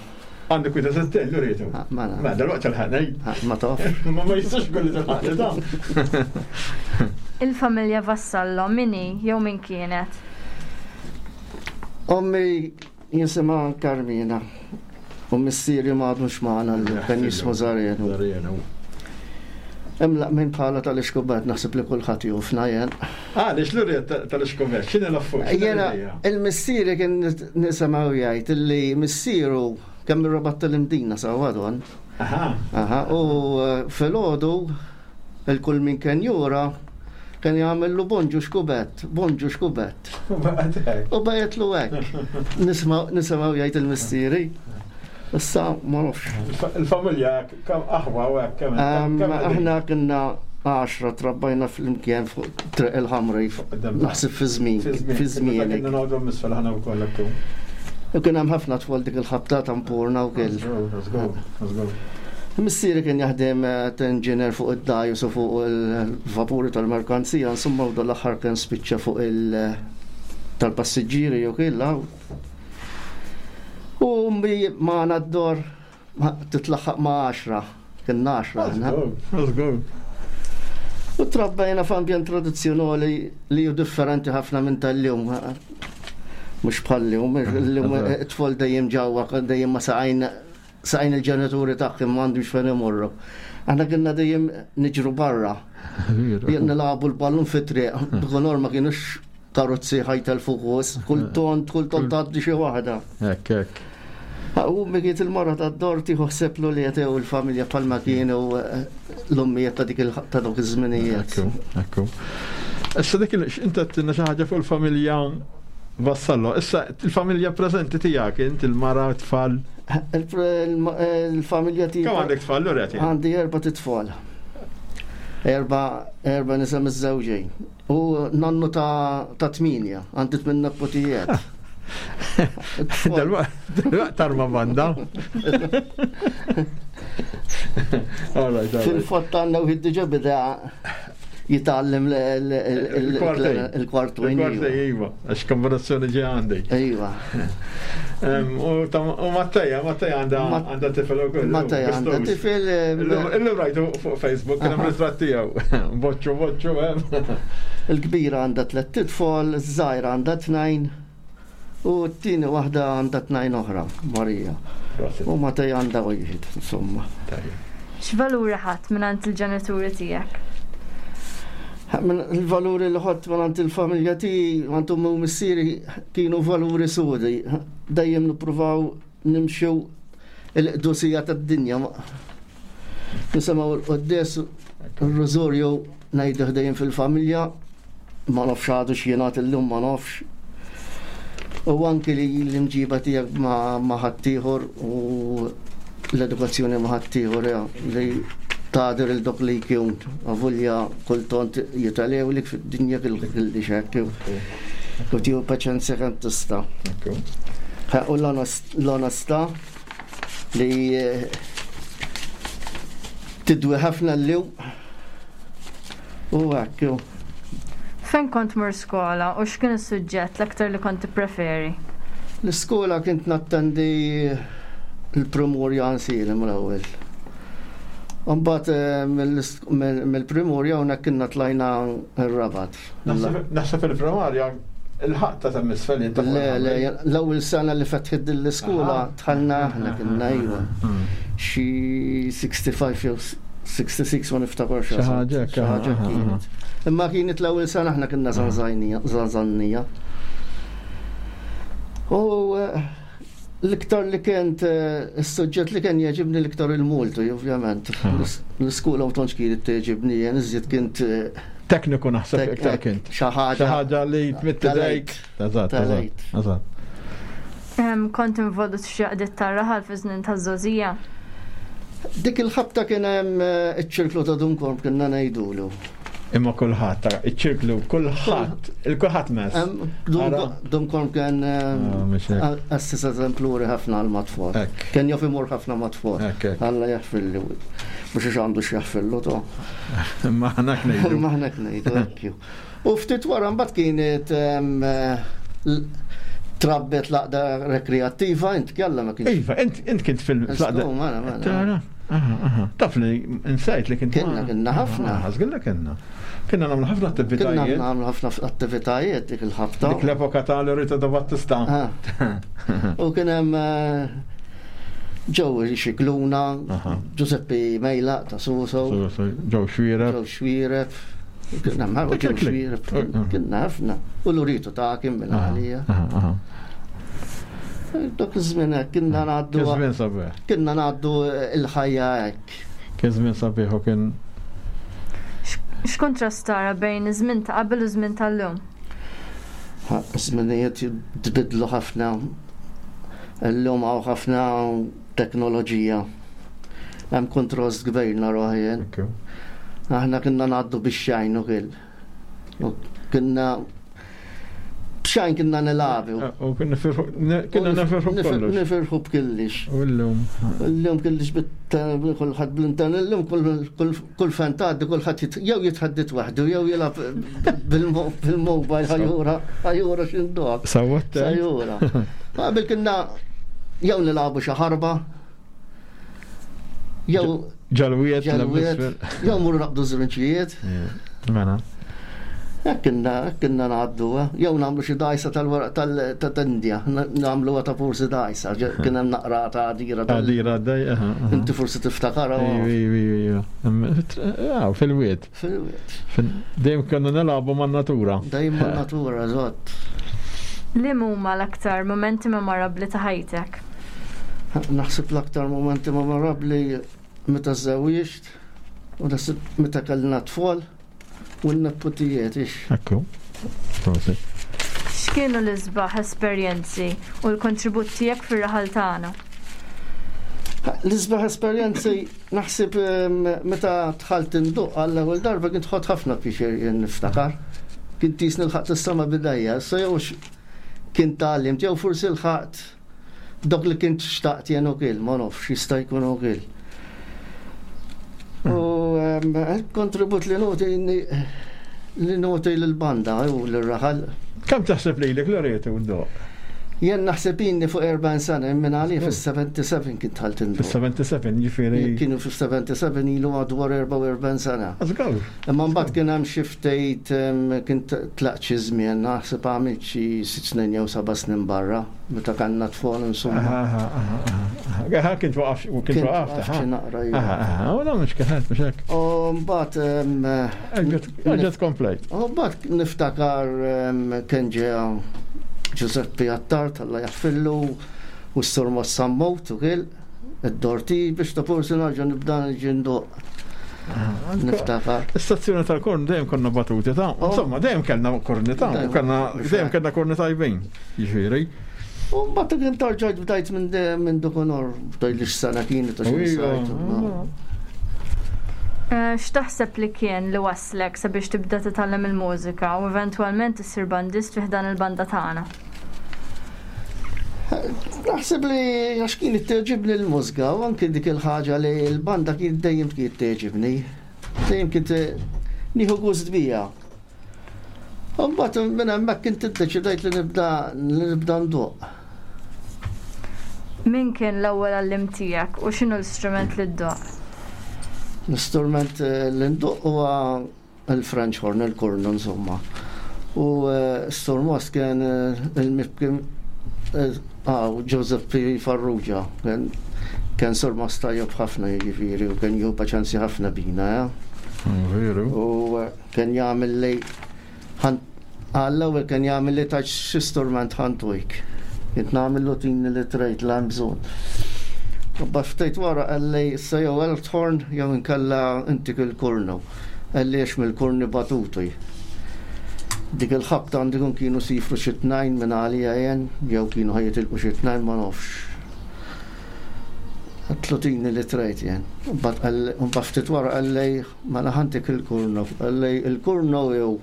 Għandek wieħed u sittin, Loreto? Ah, mela. Ma dal-waqt tal-ħana, ej. Ah, ma taf. Ma ma jistax kolli tal-ħana, ta. Il-familja Vassallo min hi jew min kienet? Ommi jisimha Carmina. U missieri ma għadux magħna llum, kien jismu Zarenu. Zarenu. Imlaq minn bħala tal-Ixkubet naħseb li kulħadd jufna jien. Ah, lix l-uriet tal-Ixkubet, x'inhi l-affu? Jena, il-missieri kien nisimgħu jgħid illi missieru kemm ir-rabat tal-Imdina sewwa don. Aha. Aha, u eh, filgħodu il-kull min kien jura kien jagħmillu bonġu xkubet, bonġu xkubet. U bajtlu hekk. Nisimgħu jgħid il-missieri. Issa ma nafx. Il-familja kemm aħwa u hekk kemm. Aħna kienna għaxra trabbajna fl-imkien fuq Triq il-Ħamri. Naħseb fi żmien. Fi żmien. Kienna noqogħdu misfel aħna wkoll hekk. U kien hemm ħafna tfal dik il-ħabta tampurna u kell. Missieri kien jaħdem ta' inġinier fuq id-dajus u fuq il-vapuri tal-merkanzija, insomma u dal-aħħar kien spiċċa fuq il- tal-passiġġieri u killa. U ummi magħna d-dor titlaħħaq ma' għaxra, kien għaxra aħna. U trabbajna f'ambjent tradizzjonali li hu differenti ħafna minn tal-lum. Mhux bħal-lum, illum it-tfal dejjem ġewwa, dejjem ma saqajn saqajn il-ġenituri tagħhom m'għandhomx fejn imorru. Aħna kienna dejjem niġru barra. Jien nilagħbu l-ballun fit-triq, b'konor ma kienux karozzi ħajtel fuqos, kull ton, kull ton tgħaddi xi waħda. Hekk, hekk. U mikiet il-mara ta' d-dor tieħu ħsieb li jetew il-familja bħalma kienu l-ummijiet ta' dik ta' dawk iż-żminijiet. Ekku, ekku. Issa dik inta għedtilna xi ħaġa fuq il-familja Vassallo. Issa il-familja preżenti tiegħek, int il-mara, t-tfal. Il-familja tiegħi. Kemm għandek tfal, Loretti? Għandi erba' titfal. Erba' erba' nisa miżżewġin. U nannu ta' tminja, għandi tmien nepotijiet. Dalwaqt tarma banda. Fil-fatt għandna wieħed diġà beda jitgħallem il-kwartu. Il-kwartu, iva, għax kombinazzjoni ġi għandi. Iva. U Matteja, Matteja għandha tifel ukoll. Matteja għandha tifel. Illum rajtu fuq Facebook, kien hemm ritratt tiegħu. Boċċu, boċċu, hemm. Il-kbira għandha tliet titfol, iż-żgħira għandha tnejn. U t-tieni waħda għandha tnejn oħra, Marija. U Matteja għandha wieħed, insomma. X'valuri ħadd mingħand il-ġenituri tiegħek? Il-valuri li ħadd mingħand il-familja tiegħi, għand ommi u missieri kienu valuri sodi. Dejjem nippruvaw nimxu il-qdusija tad-dinja. Nisimgħu l-quddies, ir-rużurju ngħiduh dejjem fil-familja, ma nafx għadu x'jingħad illum ma nafx. U anki li l-imġiba tiegħek ma' ħaddieħor u l-edukazzjoni ma' ħaddieħor li tagħdir il dok li jkun avolja kultant jitalew lik fid-dinja kelli xekk. U tieħu paċenzja kemm tista'. U l-onestà li tidwi ħafna llum u hekk. Fejn kont mur skola u x'kien is-suġġett l-aktar li kont tippreferi? L-iskola kont nattendi l-Primorja Ansilim l-ewwel. Mbagħad mill-Primorja hawnhekk kienna tlajna r-Rabat. Naħseb il-Primarja il-ħadd ta' misfel inta. Le, le, l-ewwel sena li fetħet din l-iskola dħalna aħna kienna iva. Xi sixty-five jew sixty-six ma niftakarx. Xi ħaġa xi ħaġa kienet. Imma kienet l-ewwel sena aħna kienna żanżannija. U l-iktar li kent, is-suġġett li kien jogħġibni l-iktar il-Multu, ovvjament. L-iskola ma tantx kienet togħġibni, jien iżjed kint tekniku naħseb iktar kint. Xi ħaġa. Xi ħaġa li tmitt idejk. Eżatt, eżatt. Kont involut f'xi għaqdiet tar-raħal fi żmien taż-żgħożija? Dik il-ħabta kien hemm iċ-ċirklu ta' Dunkorm kienna ngħidulu. Imma kulħadd, iċ-ċirklu, kulħadd, il-kulħadd mess. Dunkorm kien assis eżempluri ħafna għal matfall. Kien jaf imur ħafna matfall. Alla jaħfirli. Mhux għax għandu x'jaħfirlu to. Imma aħna ngħidu. Imma aħna ngħidu hekk. U ftit wara mbagħad kienet trabbet l-għaqda rekreattiva, int kella ma kienx. Iva, int kint fil-għaqda. Taf li insajt li kint. Kienna, kienna ħafna. Żgilla kienna. Kienna nagħmlu ħafna attivitajiet. Kienna nagħmlu ħafna attivitajiet dik il-ħabta. Dik l-epoka ta' Lorita da Battista. U kien hemm Ġew Xikluna, Giuseppe Mejla ta' Suso. Ġew Xwireb. Ġew Xwireb. Kienna ġew Xwireb. Kienna ħafna. U l-uritu ta' kien minn għalija. Dak iż-żmien hekk kienna ngħaddu. Kien żmien sabiħ. Kienna ngħaddu l-ħajja hekk. Kien żmien sabiħ u kien. X'kontrast tara bejn iż-żmien ta' qabel u żmien tal-lum? Żminijiet tbidlu ħafna. Illum hawn ħafna teknoloġija. Hemm kontrast kbir naraw jien. Aħna kienna ngħaddu bix-xajn ukoll. Kienna b'xajn kienna nilagħbu. U kienna nifirħu b'kollox. Nifirħu b'kullix. U llum. Illum kullix kulħadd bl-internet, illum kull fan tgħaddi kulħadd jew jitħaddit waħdu jew jilgħab bil-mobile ħajura ħajura x'induha. Sawwat. Ħajura. Qabel kienna jew nilagħbu xi ħarba jew ġalwiet, jew mur naqbdu żrinċijiet. Mela. Hekk kienna kienna ngħaddu, jew nagħmlu xi dajsa tal-weraq tal-Indja, nagħmluha ta' forsi dajsa, kien hemm naqra ta' għadira. Għadira daj, Inti forsi tiftakarha. Iva, iva, fil-wied. Fil-wied. Dejjem konna nilagħbu man-natura. Dejjem man-natura, eżatt. Liema huma l-aktar momenti memorabbli ta' ħajtek? Naħseb l-aktar momenti memorabbli meta żżewwiġt u naħseb meta kellna tfal u n-neputijiet ix. Ekku. Prosit. X'kienu l-isbaħ esperjenzi u l-kontribut tiegħek fir-raħal tagħna? L-isbaħ esperjenzi naħseb meta dħalt induq għall-ewwel darba kint ħadt ħafna pjaċir jien niftakar. Kint tisni lħaqt is-sama bidejja, so jew kien tgħallimt jew forsi lħaqt dak li kint xtaqt jien ukoll, ma nafx jista' jkun ukoll. U kontribut li noti li noti lill-banda u lir-raħal. Kemm taħseb lilek Loreto u ddoq? Jien naħseb inni fuq erbgħin sena minn għalija fis-seventy-seven kien dħalt induq. Fis-seventy-seven jiġifieri. Kienu fis-seventy-seven ilu madwar erbgħa u erbgħin sena. Żgur. Imma mbagħad kien hemm xi ftit kien tlaqt xi żmien, naħseb għamilt xi sitt snin jew seba' snin barra meta kellna tfal insomma. Aha, aha, aha. Kien twaqaf u kien twaqaf xi naqra. Aha, aha, u dan mhux kien mhux hekk. U mbagħad Ġed komplejt. U mbagħad niftakar kien ġew Giuseppe Attard, Alla jaħfillu, u s-sur Mossammot ukoll, id-dorti biex ta' forsi nerġa' nibda niġi ndoq. Niftakar. L-istazzjoni tal-korn dejjem konna batuti ta' insomma dejjem kellna korni ta' u kellna dejjem kellna korni tajbin, jiġifieri. U mbagħad kien tarġajt bdajt minn minn dukonor, bdajt li x'sena kienet u xi sajt. X'taħseb li kien li waslek sabiex tibda titgħallem il-mużika u eventwalment issir bandist fi ħdan il-banda tagħna? Naħseb li għax kienet tgħoġibni l-mużika u anke dik il-ħaġa li l-banda kienet dejjem kienet tgħoġibni. Dejjem kien nieħu gost bija. U mbagħad minn hemmhekk kint iddeċidejt li nibda li nibda ndoq. Min kien l-ewwel għalliem tiegħek u x'inhu l-istrument li ddoq? L-istrument li ndoq huwa il-French horn, il-kornu insomma. U s-Sur Most kien il-mibki Giuseppe Farrugia, kien Sur Most tajjeb ħafna jiġifieri u kien jieħu paċenzja ħafna bina. Veru. U kien jagħmel li għall-ewwel kien jagħmel li taċ xi strument ħantujk. Kint nagħmel tini li trejt l hemm bżonn. U ftit wara qalli issa jew Elthorn jew inkella intik il-kornu. Qalli għax mill-korni batuti. Dik il-ħabta għandikun kienu sifru xi tnejn minn għalija jien, jew kienu ħajitilqu xi tnejn ma nafx. Għatlu tini li trejt jien. Mbagħad ftit wara qalli mela ħantik il-kurnu. Qalli il-kurnu jew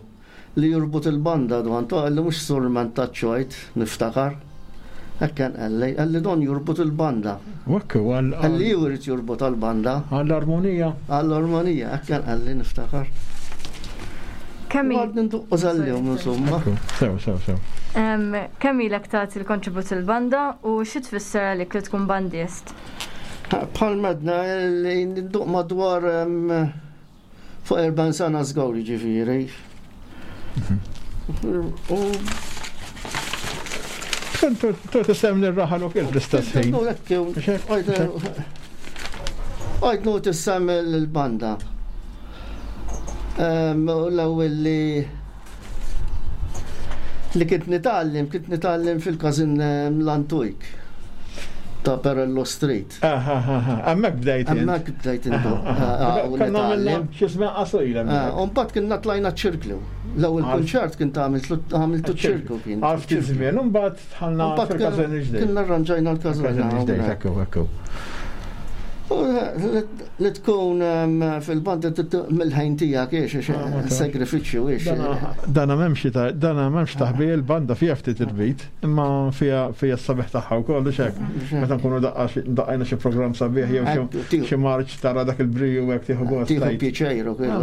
li jirbut il-banda dwan to qalli mhux strument taċ-ċojt niftakar. Hekk kien qalli, qalli don jirbut il-banda. U hekk huwa għal Qalli hu jrid jirbut għall-banda. Għall-armonija. Għall-armonija, hekk kien qalli niftakar. Kemm Għad ninduqqu sal-jum, insomma. Sew, sew, sew. Kemm ilek tagħti l-kontribut il-banda u xi tfisser għalik li tkun bandist? Bħal medna li ninduq madwar fuq erbgħin sena żgur jiġifieri. U Tu tisem l-raħal u kif l-istess ħin. Għajt nu tissem l-banda. L-ewwel li li kint nitgħallem, kint nitgħallem fil-każin l-Antujk ta' Perello Street. Hemmhekk bdejt. Hemmhekk bdejt intu. Konna għamilna xi żmien qasira. U mbagħad kienna tlajna ċirklu. L-ewwel kunċert kien għamiltu ċirku kien. Għal ftit żmien, u mbagħad dħalna fil-każin ġdid. Kienna arranġajna l-każin. Ġdid, ekku, ekku. Li tkun fil-banda mill-ħajn tiegħek iex sagrifiċċju iex. Dana m'hemmx dana m'hemmx taħbi il-banda fiha ftit il-bit, imma fiha fiha s-sabiħ tagħha wkoll hekk. Meta nkunu daqqajna xi programm sabiħ jew xi marċ tara dak il-briju hekk tieħu gost. Tieħu pjaċir ukoll.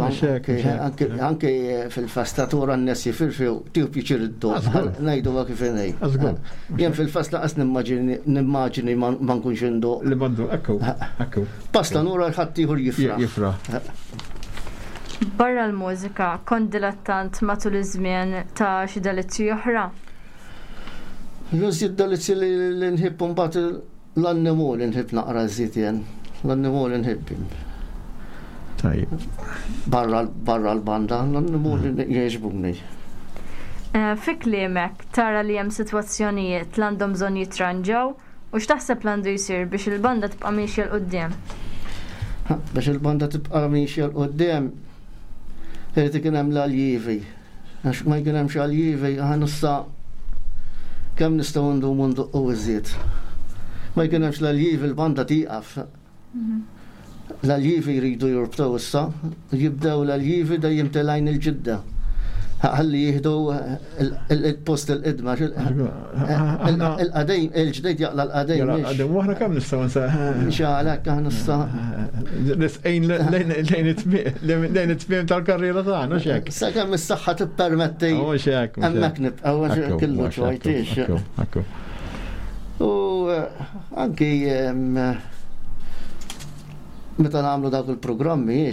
Anke fil-fastatura n-nies jifirfew tieħu pjaċir id-doq. Ngħidu kif inhi. Jien fil-festa qas nimmaġini ma nkunx indoq. Li bandu, ekku, ekku. Basta nura l-ħadd ieħor jifraħ. Jifraħ. Barra l-mużika, kont dilettant matul iż-żmien ta' xi delizzji oħra? L-użid delizzji li nħibb mbagħad l-annimoli nħibb naqra żied jien. L-annimoli nħibb. Tajjeb. Barra l-banda, l-annimoli jogħġbuni. Fi kliemek, tara li hemm sitwazzjonijiet li għandhom bżonn jitranġaw u x'taħseb l-għandu jsir biex il-banda tibqa' miexja 'l quddiem? Biex il-banda tibqa' miexja 'l quddiem, irid ikun hemm l-aljievi. Għax ma jkun hemmx aljievi, aħna issa kemm nistgħu ndumu nduqqu iżjed. Ma jkun hemmx l-aljievi l-banda tieqaf. L-aljievi jridu jurbtaw issa, jibdew l-aljievi dejjem telgħin il-ġidda. Ħalli jieħdu il-post il-qidma. Il-qadejn, il-ġdejt jaqla l-qadejn. Il-qadejn, u aħna kemm nistgħu nsa. Xalek, aħna nista'. Nisqejn lejn it-tmiem tal-karriera tagħna, xek. Sa kemm is-saħħa tippermetti. Mhux hekk. Hemmhekk nibqgħu kellu ċwajtix. U anki meta nagħmlu dawk il-programmi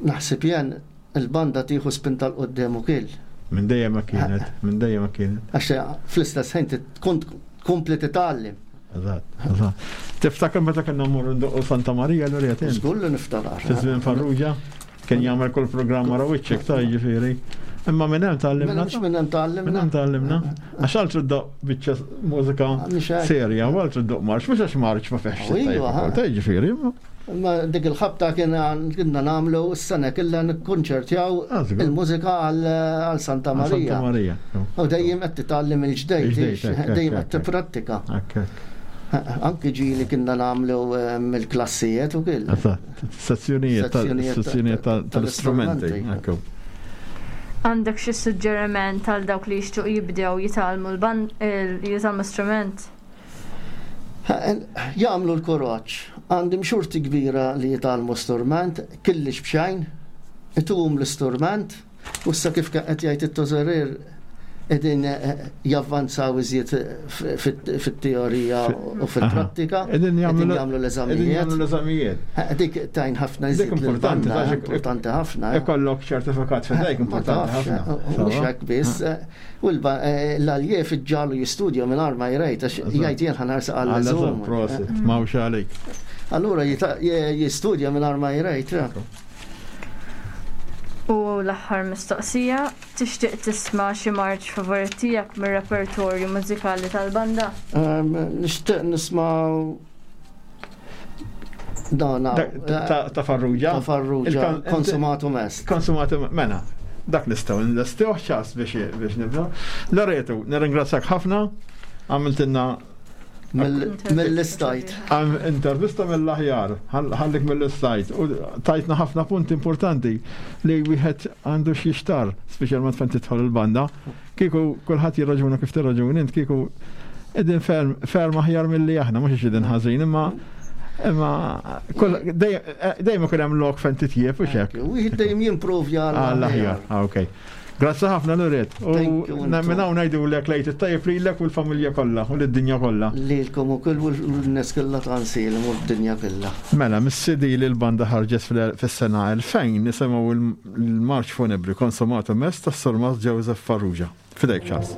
naħseb jien il-banda tieħu spinta 'l quddiem ukoll. Minn dejjem ma kienet, minn dejjem ma kienet. Għax fl-istess ħin tkun tkompli titgħallem. Eżatt, eżatt. Tiftakar meta kellna mmorru ndoqqu Santa Marija l uriet? Żgur li niftakar. Fi żmien Farrugia kien jagħmel kull programm wara wiċċek ta' jiġifieri. Imma minn hemm tgħallimna. Minn hemm tgħallimna. Minn hemm tgħallimna. Għax altru ddoq biċċa mużika serja, u altru ddoq marċ, mhux għax marċ ma fehx. Ta' jiġifieri. Ma dik il-ħabta kienna nagħmlu s-sena killa nikkonċertjaw il-mużika għal Santa Marija. U dejjem qed titgħallem il-ġdejt, dejjem qed tipprattika. Anki ġieli kienna nagħmlu il-klassijiet u kill. Sezzjonijiet sezzjonijiet tal-istrumenti. Għandek xi suġġeriment għal dawk li jixtiequ jibdew jitgħallmu l-jitgħallmu strument? Jagħmlu l-kuraġġ. Għandim xorti kbira li jitgħallmu strument, kellix b'xejn, ituhom l-istrument, u issa kif qed jgħid it-tożerir qegħdin javvanzaw iżjed fit-teorija u fil-prattika, Qegħdin qegħdin jagħmlu l-eżamijiet. l-eżamijiet. Dik tajn ħafna iżjed Dik importanti, lill-banda, għax importanti ħafna. Ikollok ċertifikat f'idejk importanti ħafna. Mhux hekk biss, u l-aljiev iġġalu jistudja mingħajr ma jrejt, għax jgħid jien ħa narsaq għall-eżum. Prosit, m'hawnx għalik. Allura jistudja mingħajr ma jrejt. U l-aħħar mistoqsija, tixtieq tisma' xi marċ favorit tiegħek mir-repertorju mużikali tal-banda? Nixtieq nisma' Dan Ta' Farrugia. Ta' Farrugia, Consumatum est. Consumatum, mena, dak nistgħu nlestewh ċas biex biex nibda. Loreto, nirringrazzjak ħafna, għamiltilna Mill-istajt. Għam intervista mill-aħjar, ħallik mill-istajt, u tajtna ħafna punti importanti li wieħed għandu x'jixtar, speċjalment fejn tidħol il-banda. Kieku kulħadd jirraġuna kif tirraġuni, int kieku qegħdin ferm, ferm aħjar milli aħna, mhux qegħdin ħażin, imma imma dejjem ikun hemm lok fejn titjieb u xek. Wieħed dejjem jimprovja għall-aħjar. Ah, okej. Grazzi ħafna Loret. U Thank you, minn hawn ngħidulek lejt it-tajjeb lilek u l-familja kollha u lid-dinja kollha. Lilkom ukoll u l-nies kollha ta' Għajnsielem u d-dinja kollha. Mela, mis-C D li l-banda ħarġet fis-sena elfejn nisimgħu l-marċ funebri Consumatum Est tas-Surmast Joseph Farrugia. Fidejk, Charles.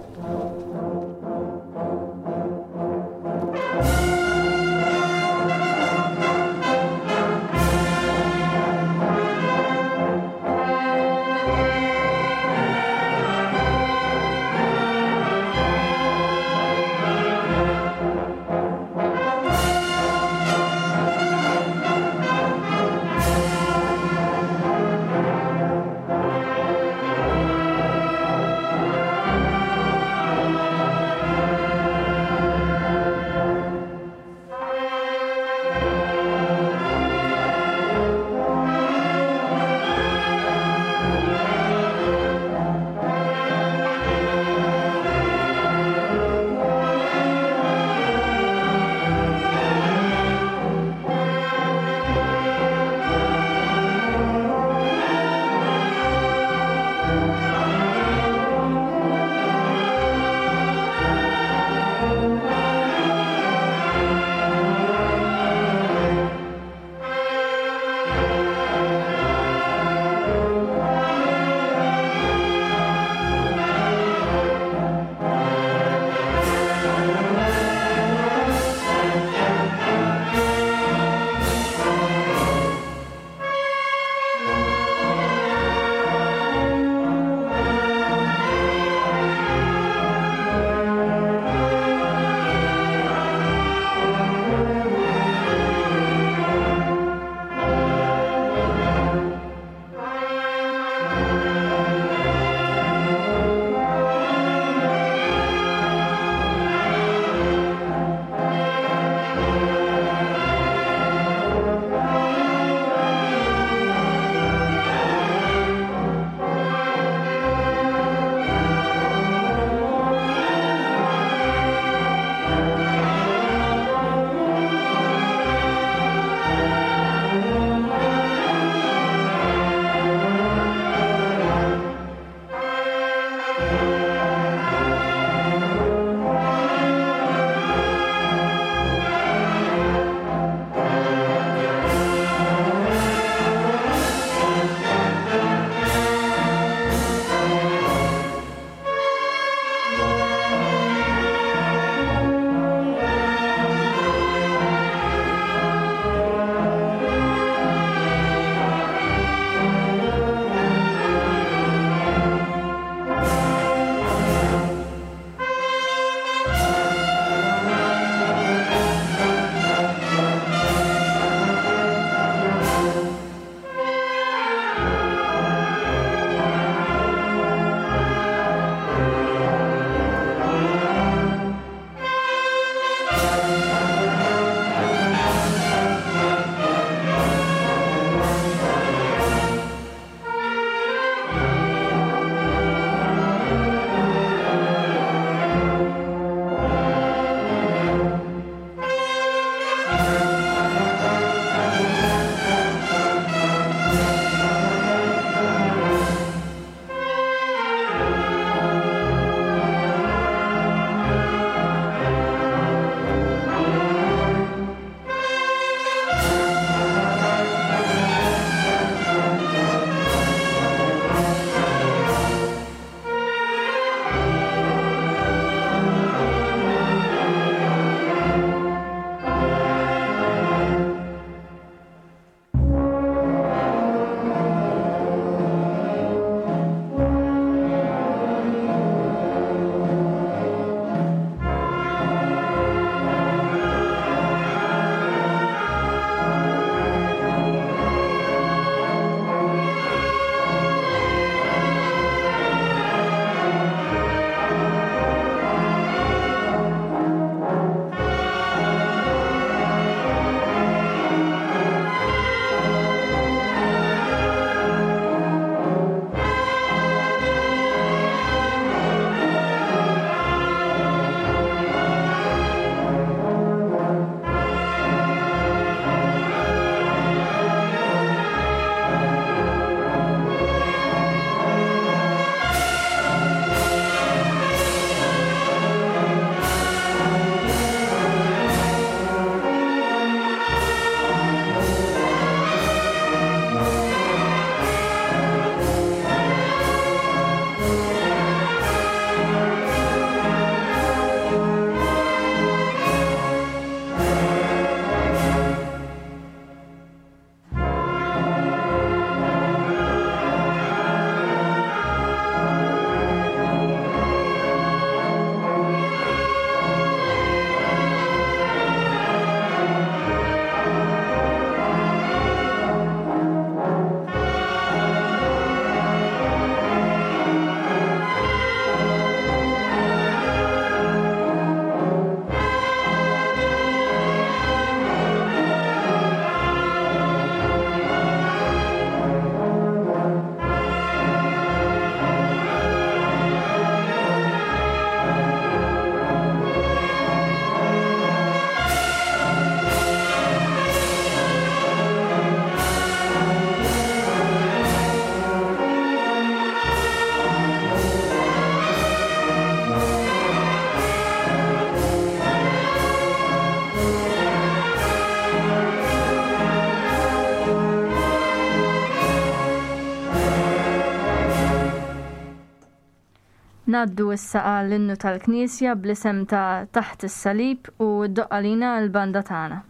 Ngħaddu issa għall-innu tal-Knisja bl-isem ta' Taħt is-Salib u ddoqq għalina l-banda tagħna.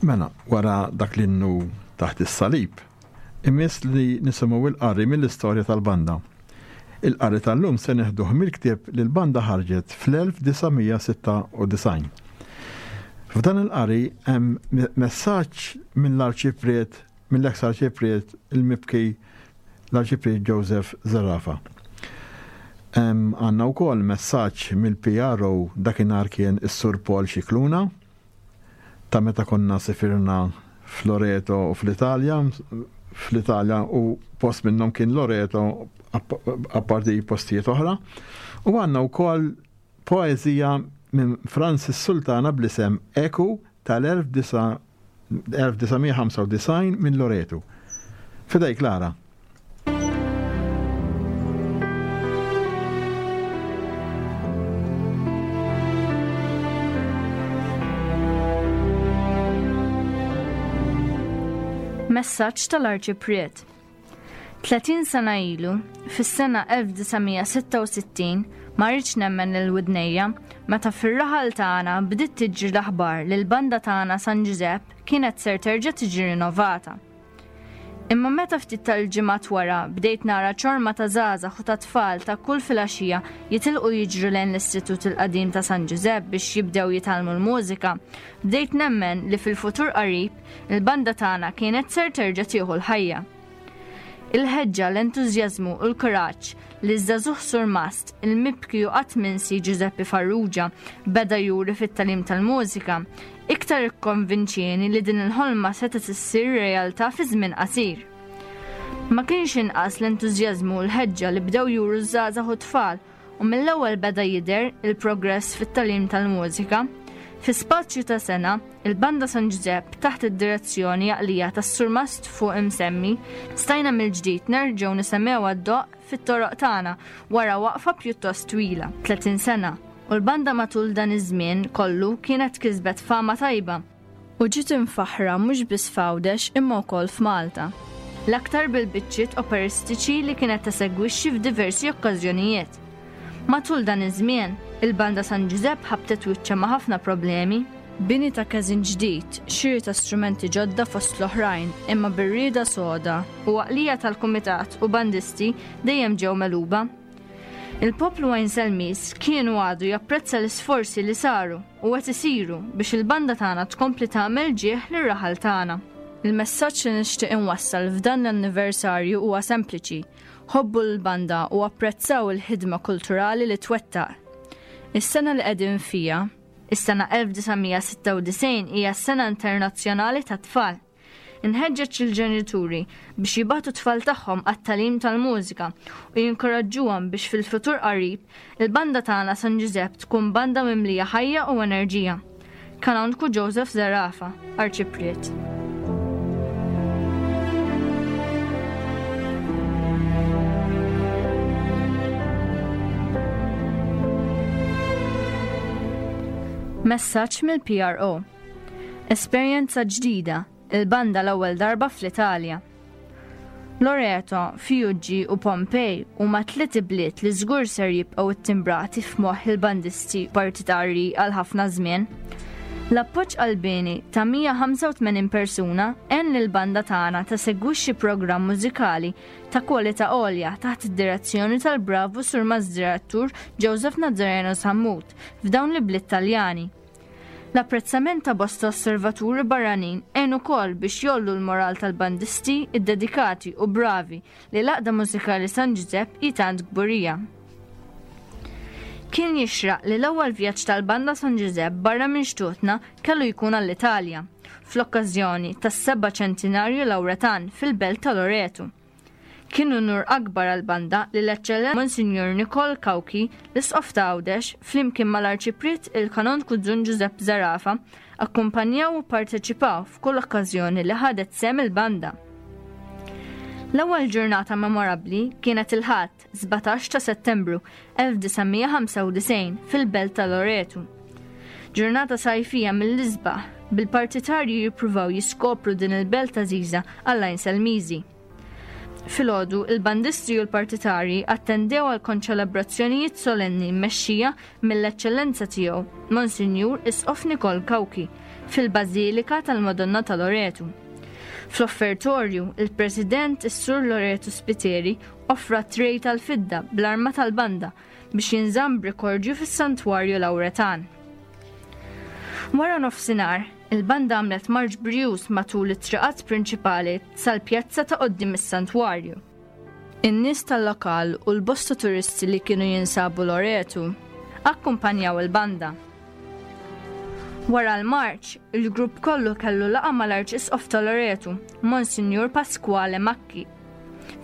Mela, wara dak l-innu taħt is-salib, imiss li nisimgħu il-qari mill-istorja tal-banda. Il-qari tal-lum se neħduh mill-ktieb li l-banda ħarġet fl-elf disa' mija sitta u disgħin. F'dan il-qari hemm messaġġ mill-arċipriet, mill-eks arċipriet il-mibki l-arċipriet Joseph Zerafa. Għandna wkoll messaġġ mill-P R O dakinhar kien is-Sur Paul Scicluna, ta' meta konna sifirna f'Loreto u fl-Italja, fl-Italja u post minnhom kien Loreto apparti postijiet oħra. U għandna wkoll poeżija minn Francis Sultana bl-isem Eku tal-elf disa' mija ħamsa u disgħin minn Loreto. Fidejk, Lara. Messaġġ tal-Arċipriet. Tletin sena ilu, fis-sena elf disa' mija sitta u sittin, ma rridx nemmen lil widnejja meta fir-raħal tagħna bdiet tiġri l-aħbar li l-banda tagħna San Ġużepp kienet ser terġa' tiġi rinnovata. Imma meta ftit tal-ġimgħat wara bdejt nara ċorma ta' żgħażagħ u ta' tfal ta' kull filgħaxija jitilqu jiġru lejn l-Istitut il-Qadim ta' San Ġużepp biex jibdew jitgħallmu l-mużika, bdejt nemmen li fil-futur qarib il-banda tagħna kienet ser terġa' tieħu l-ħajja. Il-ħeġġa, l-entużjażmu u l-kuraġġ li ż-żagħżugħ surmast il-mibki u qatt minsi Giuseppe Farrugia beda juri fit-tagħlim tal-mużika, iktar ikkonvinċieni li din il-ħolma setgħet issir realtà fi żmien qasir. Ma kienx inqas l-entużjażmu u l-ħeġġa li bdew juru ż-żgħażagħ u tfal u mill-ewwel beda jidher il-progress fit-tagħlim tal-mużika. Fi spazju ta' sena, il-Banda San Ġużepp taħt id-direzzjoni għaqlija tas-surmast fuq imsemmi, stajna mill-ġdid nerġgħu nisemgħu għad-doqq fit-toroq tagħna wara waqfa pjuttost twila, tletin sena, u l-banda matul dan iż-żmien kollu kienet kisbet fama tajba u ġiet imfaħħra mhux biss f'Għawdex imma wkoll f'Malta. L-aktar bil-biċċiet operistiċi li kienet tesegwixxi f'diversi okkażjonijiet. Matul dan iż-żmien, il-Banda San Ġużepp ħabtet wiċċha ma' ħafna problemi, bini ta' każin ġdid, xiri ta' strumenti ġodda fost l-oħrajn, imma bir-rieda soda u għaqlija tal-kumitat u bandisti dejjem ġew megħluba. Il-poplu Għajnselmiż kien u għadu japprezza l-isforzi li saru u qed isiru biex il-banda tagħna tkompli tagħmel ġieħ lir-raħal tagħna. Il-messaġġ li nixtieq inwassal f'dan l-anniversarju huwa sempliċi. Ħobbu l-banda u apprezzaw il-ħidma kulturali li twettaq. Is-sena li qegħdin fiha, is-sena elf disa' mija sitta u disgħin, hija s-sena internazzjonali tat-tfal. Inħeġġeġ il-ġenituri biex jibgħatu t-tfal tagħhom għat-tagħlim tal-mużika u jinkoraġġuhom biex fil-futur qarib il-banda tagħna San Ġużepp tkun banda mimlija ħajja u enerġija. Kanonku Joseph Zerafa, Arċipriet. Messaġġ mill-P R O. Esperjenza ġdida, il-banda l-ewwel darba fl-Italja. Loreto, Fiuggi u Pompei huma tliet ibliet li żgur ser jibqgħu ttimbrati f'moħħ il-bandisti partitarji għal ħafna żmien. L-appoġġ qalbieni ta' mija ħamsa u tmenin persuna għen lill-banda tagħna tesegwixxi programm mużikali ta' kwalità għolja taħt id-direzzjoni tal-bravu surmast direttur Joseph Nazareno Sammut f'dawn l-ibliet Taljani. L-apprezzament ta' bosta osservaturi barranin għen ukoll biex jollu l-moral tal-bandisti id-dedikati u bravi li l-Għaqda Mużikali San Ġużepp hi tant kburija. Kien jixraq li l-ewwel vjaġġ tal-Banda San Ġużepp barra minn xtutna kellu jkun għall-Italja, fl-okkażjoni tas-seba' ċentinarju Lawretan fil-belt ta' Loreto. Kien unur akbar għall-banda li l-Eċċellenza Monsignor Nikol Cauchi, l-Isqof ta' Għawdex, flimkien mal-Arċipriet il-Kanonku Dun Giuseppe Zerafa, akkumpanjaw u parteċipaw f'kull okkażjoni li ħadet sehem il-banda. L-ewwel ġurnata memorabbli kienet il-Ħadd sbatax ta' Settembru elf disa' mija ħamsa u disgħin fil-Belt ta' Loreto. Ġurnata sajfija mill-isbaħ, bil-partitarji jippruvaw jiskopru din il-belt għażiża għall-Għajnselmiżi. Filgħodu, il-bandisti u l-partitarji attendew għal konċelebrazzjonijiet solenni mmexxija mill-Eċċellenza tiegħu, Monsinjur Isqof Nikol Cauchi, fil-Bażilika tal-Madonna ta' Loreto. Fl-offertorju, il-President is-Sur Loreto Spiteri offra trej tal-fidda bl-arma tal-banda biex jinżamm b'rikordju fis-Santwarju Lawretan. Wara nofsinhar, il-banda għamlet marċ brjuż matul it-triqat prinċipali sal-pjazza ta' quddiem is-santwarju. In-nies tal-lokal u l-bosta turisti li kienu jinsabu Loreto akkumpanjaw il-banda. Wara l-marċ, il-grupp kollu kellu laqgħa mal-Arċisqof ta' Loreto, Monsinjur Pasquale Macchi,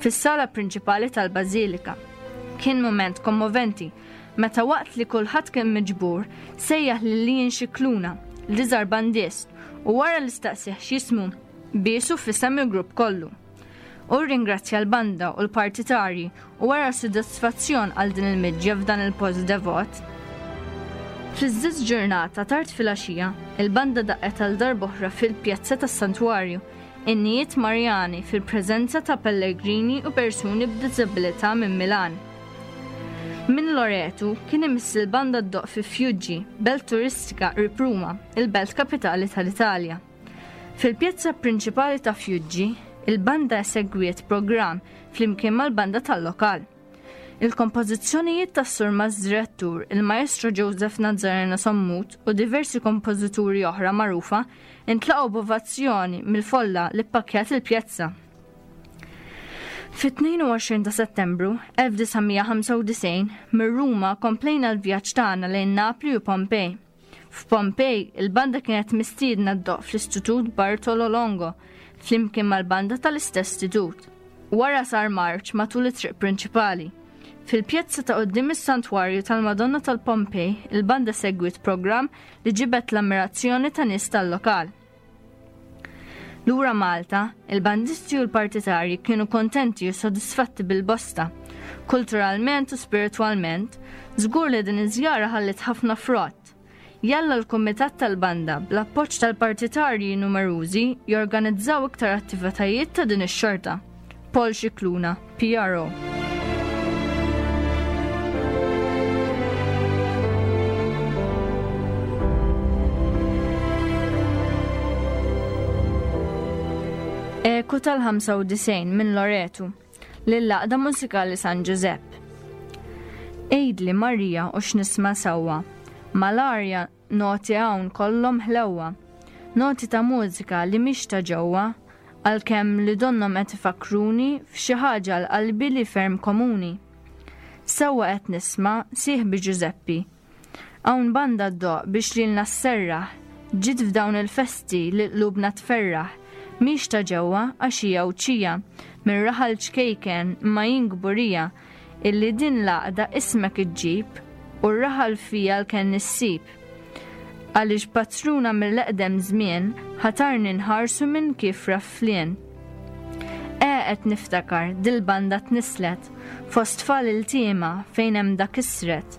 fis-sala prinċipali tal-Bażilika. Kien mument kommoventi meta waqt li kulħadd kien miġbur sejjaħ lil Ian Scicluna, l-iżgħar bandist, u wara li staqsih x'jismu, biesu f'isem il-grupp kollu. U ringrazzja l-banda u l-partitarji u wara sodisfazzjon għal din il-miġja f'dan il-post devot. Fl-istess ġurnata tard filgħaxija, il-banda daqqet għal darb'oħra fil-pjazza tas-Santwarju, innijiet Marjani fil-preżenza ta' pellegrini u persuni b'diżabilità minn Milan. Minn Loreto kien imiss il-banda ddoqq fi Fiuggi, belt turistika qrib Ruma, il-belt kapitali tal-Italja. Fil-pjazza prinċipali ta' Fiuggi, il-banda esegwiet programm flimkien mal-banda tal-lokal. Il-kompożizzjonijiet tas-surmast direttur, il-maestro Joseph Nazareno Sammut u diversi kompożituri oħra magħrufa intlaqgħu b'ovazzjoni mill-folla li ppakkjat il-pjazza. Fit-tnejn u għoxrin ta' Settembru elf disa' mija ħamsa u disgħin, minn Ruma komplejna l-vjaġġ tagħna lejn Napli u Pompej. F'Pompej, il-banda kienet mistiedna ddoqq fl-Istitut Bartolo Longo, flimkien mal-banda tal-istess istitut. Wara sar marċ matul it-triq prinċipali. Fil-pjazza ta' quddiem is-Santwarju tal-Madonna tal-Pompej, il-banda segwit programm li ġibet l-ammirazzjoni ta' nies tal-lokal. Lura Malta, il-bandisti u l-partitarji kienu kontenti u sodisfatti bil-bosta. Kulturalment u spiritwalment, żgur li din iż-żjara ħallit ħafna frott. Jalla l-Kumitat tal-Banda bl-appoġġ tal-partitarji numerużi jorganizzaw iktar attivitajiet ta' din ix-xorta. Paul Scicluna, P R O. Eku tal-ħamsa u disgħin minn Loreto, lill-Għaqda Mużikali San Giuseppe. Għidli Marija u x'nisma' sewwa, mal-arja noti hawn kollhom ħlewwa, noti ta' mużika li mhix ta' ġewwa, għalkemm li donnhom qed ifakruni f'xi ħaġa għal qalbi li ferm komuni. Sewwa qed nisma' sieħbi Giuseppi. Hawn banda ddoq biex lilna sserraħ, ġiet f'dawn il-festi li qlubna tferraħ, mhix ta' ġewwa għax hija Għawdxija, minn raħal ċkejken ma jien kburija, illi din l-għaqda ismek iġġib u r-raħal fija l-kenn issib. Għaliex patruna mill-eqdem żmien ħatarni nħarsu minn kif rafflien. E qed niftakar dil-banda tnislet fost tfal il-tiema fejn hemm dak isret,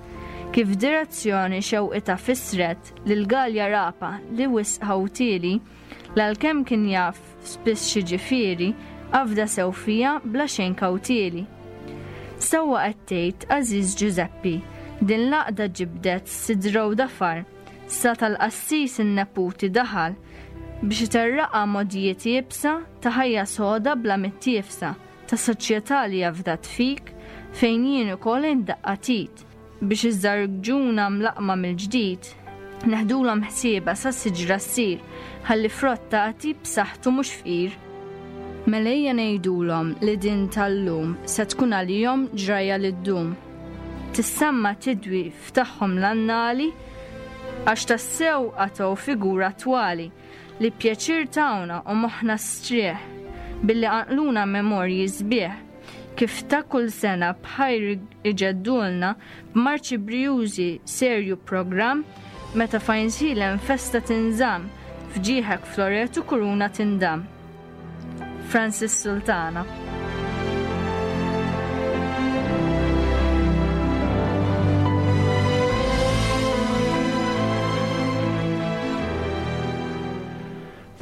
kif direzzjoni xewqita fisret lil Galja Rapa li wisq ħawtieli, l-għalkemm kien jaf spiss xi ġifieri, għafda sew fija bla xejn kawtieli. Sewwa qed tgħid Aziz Giuseppi, din l-għaqda ġibdet sidra u dafar, sa tal-qassis in-neputi daħal biex iterraqa modijiet iebsa ta' ħajja soda bla mittiefsa ta' soċjetà li jafdat fik fejn jien ukoll indaqqa tit biex iż-żarġuna mlaqma mill-ġdid neħdulhom ħsiebha sa siġra ssir ħalli frott tagħti b'saħħtu mhux fqir. Mela ejja ngħidulhom li din tal-lum se tkun għalihom ġrajja li ddum. Tissemma tidwi f'tagħhom l-annali għax tassew għataw figura attwali li pjaċir tawna u moħħna strieħ billi qanqluna memorji sbieħ kif ta' kull sena bħajr iġeddulna b'marċi brijużi serju programm meta fajnżilem festa tinżamm f'ġieħek Floretu kuruna tindam. Francis Sultana.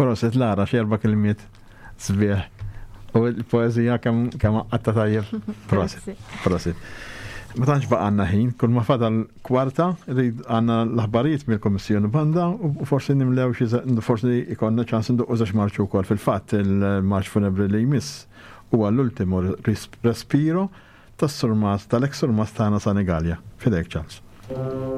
Proset Lara, xi erba' kelmiet sbieħ. U l-poeżija kemm, kemm għatta tajjeb. Proset, proset. Ma tantx baqa' għandna ħin, kull ma fadal kwarta, rrid għandna l-aħbarijiet mill-Kummissjoni Banda u forsi nimlew xi ze-, forsi ikollna ċans nduqqu żewġ marċi wkoll. Fil-fatt il-marċ funebri li jmiss huwa l-ultimo ris-, respiro tas-surmas, tal-eks surmas tagħna Senigallia. Fidejk, Charles. Thank you.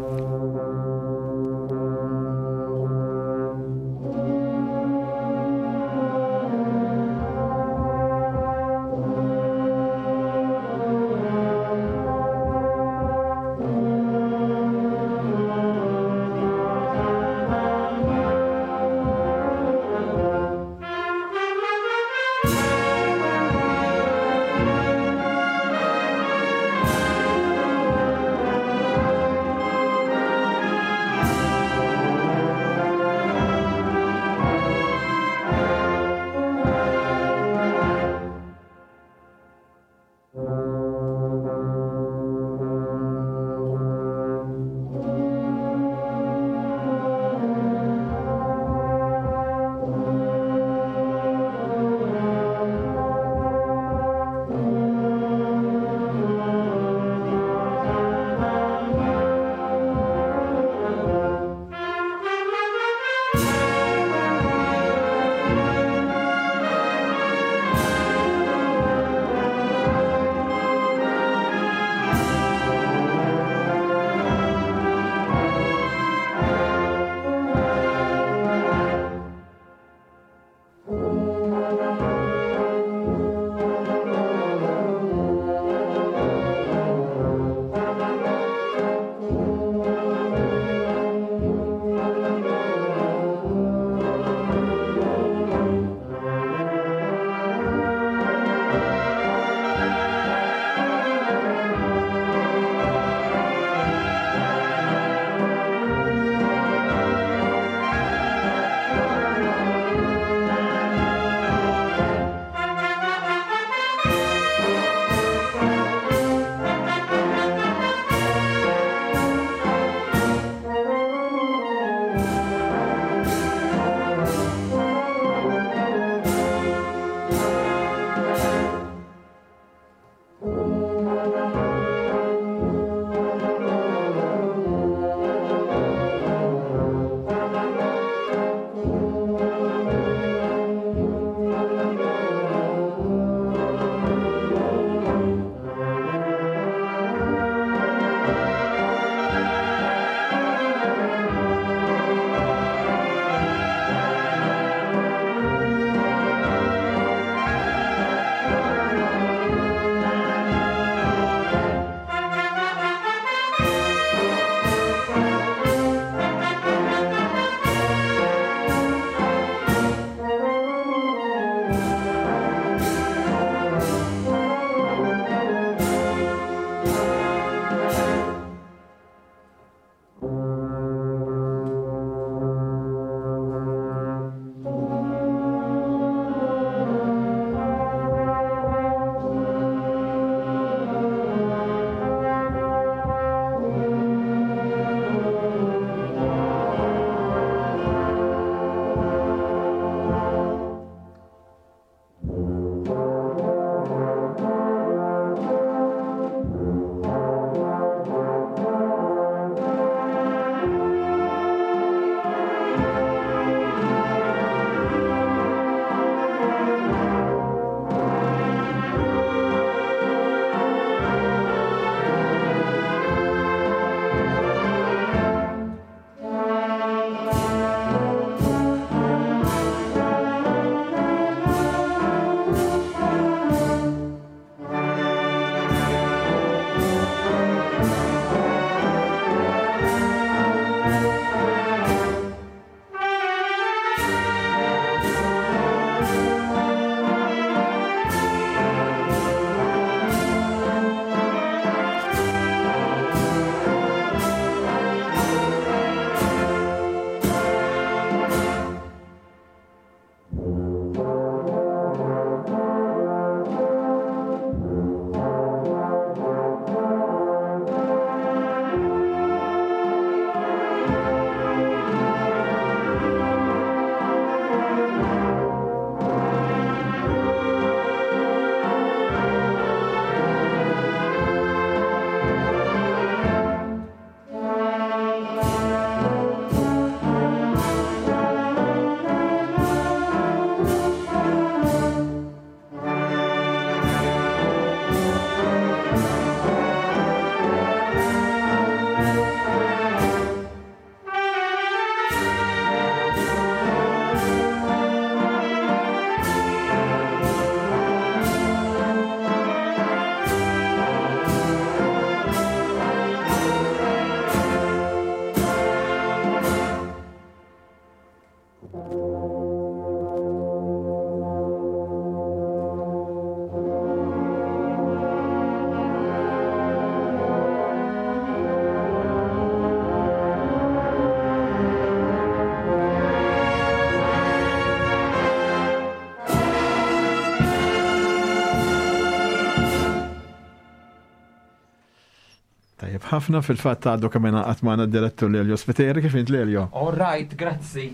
Tajjeb ħafna fil-fatt għadu kemm ingħaqad magħna d-direttur Lelio Spiteri, kif int Lelio? All right, grazzi.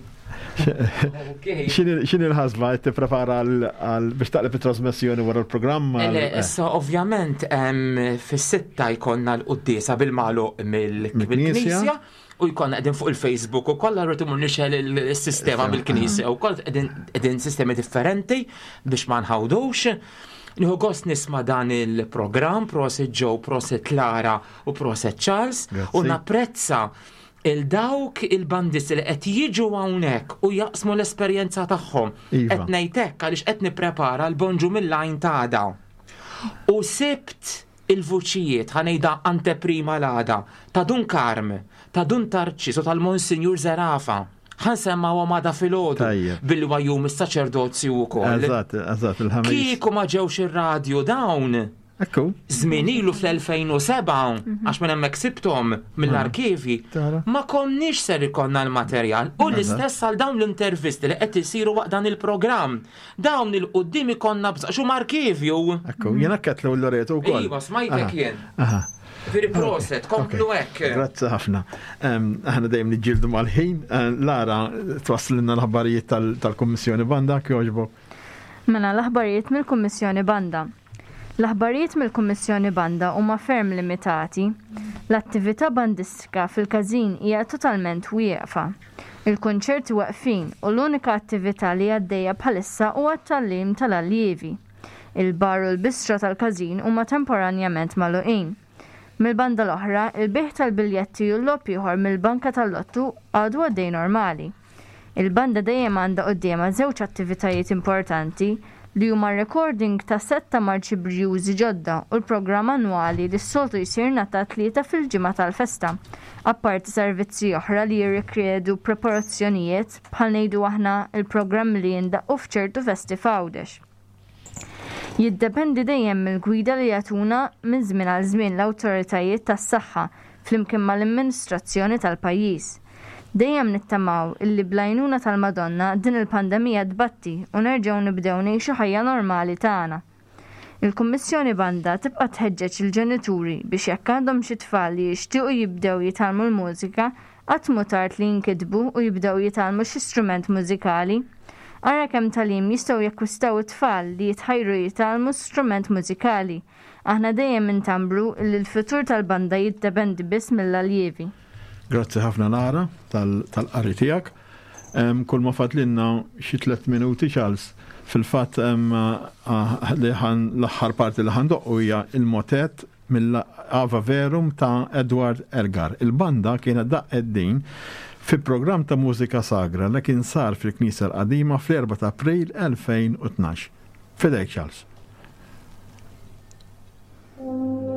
X'inhi l-ħasba qed tipprepara għal biex taqleb it-trasmissjoni wara l-programm? Le, issa ovvjament fis-sitta jkollna l-quddiesa bil-magħluq mill-Knisja u jkollna qegħdin fuq il-Facebook u kollha rrid imur nixgħel il-sistema mill-Knisja u koll qegħdin sistemi differenti biex ma nħawdux. Nieħu gost nisma' dan il-programm, prosit Joe, prosit Lara u prosit Charles, u napprezza il-dawk il-bandisti li qed jiġu hawnhekk u jaqsmu l-esperjenza tagħhom. Qed ngħid hekk għaliex qed nipprepara l-bonġu mill-għajn t'għada. U sibt il-vuċijiet, ħa ngħidha anteprima l-għada, ta' Dun Karm, ta' Dun Tarċis u tal-Monsinjur Zerafa. Ħa nsemmgħuhom għada filgħodu billi huwa jum is-saċerdozju wkoll. Eżatt, eżatt, il-ħamis. Kieku ma ġewx ir-radju dawn. Ekku. Żmien ilu fl-elfejn u sebgħa, għax minn hemmhekk sibthom mill-arkivi, ma konniex ser ikollna l-materjal. U l-istess għal dawn l-intervisti li qed isiru waqt dan il-programm. Dawn il-qudiem ikollna bżonn x'huma arkivju. Ekku, jiena ketlu l-Loreto wkoll. Iva, smajtek jien. Veri proset, komplu hekk. Grazzi ħafna. Aħna dejjem niġġieldu mal-ħin. Lara, twasslilna l-aħbarijiet tal-Kummissjoni Banda, kjoġbok. Mela l-aħbarijiet mill-Kummissjoni Banda. L-aħbarijiet mill-Kummissjoni Banda huma ferm limitati. L-attività bandistika fil-każin hija totalment wieqfa. Il-konċerti waqfin u l-unika attività li għaddejja bħalissa huwa t-tgħallim tal-allievi. Il-bar u l-bistra tal-każin huma temporanjament magħluqin. Mill-banda l-oħra, il-bejgħ tal-biljetti u l-logħob ieħor mill-banka tal-lottu għadu għaddej normali. Il-banda dejjem għandha quddiemha żewġ attivitajiet importanti li huma recording ta' setta marċi brjużi ġodda u l-programm annwali li s-soltu jsir nhar tlieta fil-ġimgħa tal-festa, apparti servizzi oħra li jirrikjedu preparazzjonijiet bħal ngħidu aħna il-programm li jindaqqu f'ċertu festi f'Għawdex. Jiddependi dejjem mill-gwida li jagħtuna minn żmien għal żmien l-awtoritajiet tas-saħħa flimkien mal-amministrazzjoni tal-pajjiż. Dejjem nittamaw illi bl-għajnuna tal-Madonna din il-pandemija tbatti u nerġgħu nibdew ngħixu ħajja normali tagħna. Il-Kummissjoni Banda tibqa' tħeġġeġ il-ġenituri biex jekk għandhom xi tfal li jixtiequ jibdew jitgħallmu l-mużika, qatt mhu tard li jinkitbu u jibdew jitgħallmu xi strument mużikali. Ara kemm tagħlim jistgħu jakkwistaw it-tfal li jitħajru jitgħallmu strument mużikali. Aħna dejjem intambru li l-futur tal-banda jiddependi biss mill-aljievi. Grazzi ħafna Lara tal-qari tiegħek. Kull ma fadlinna xi tliet minuti Charles. Fil-fatt l-aħħar parti li ħandoqqu hija il-motet mill-Ava Verum ta' Edward Elgar. Il-banda kienet daqqet din fi programm ta' mużika sagra li kien sar fil-Knisja l-Qadima fl-erba' ta' April elfejn u tnax. Fidejk Charles. Thank you.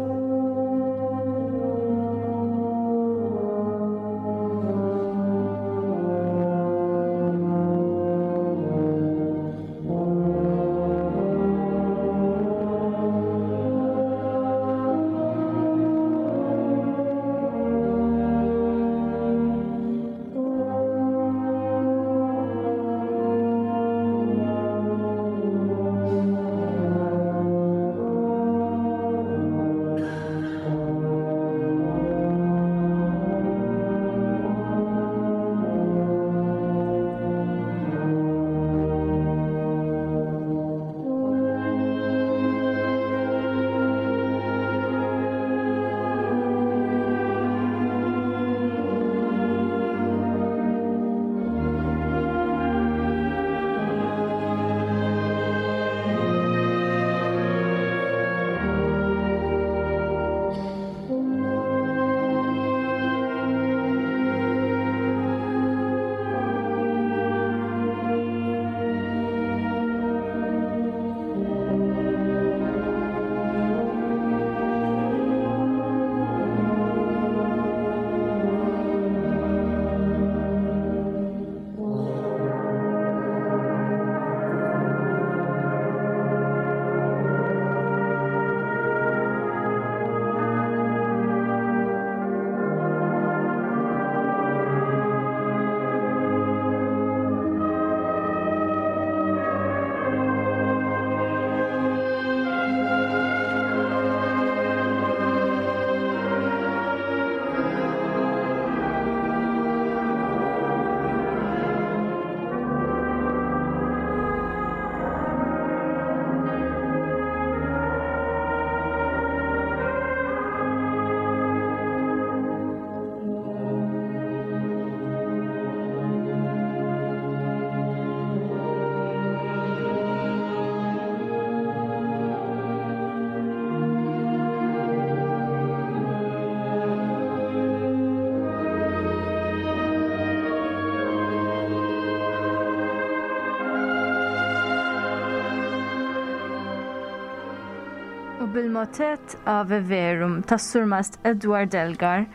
U bil-motett Ave Verum tas-Surmast Edward Elgar,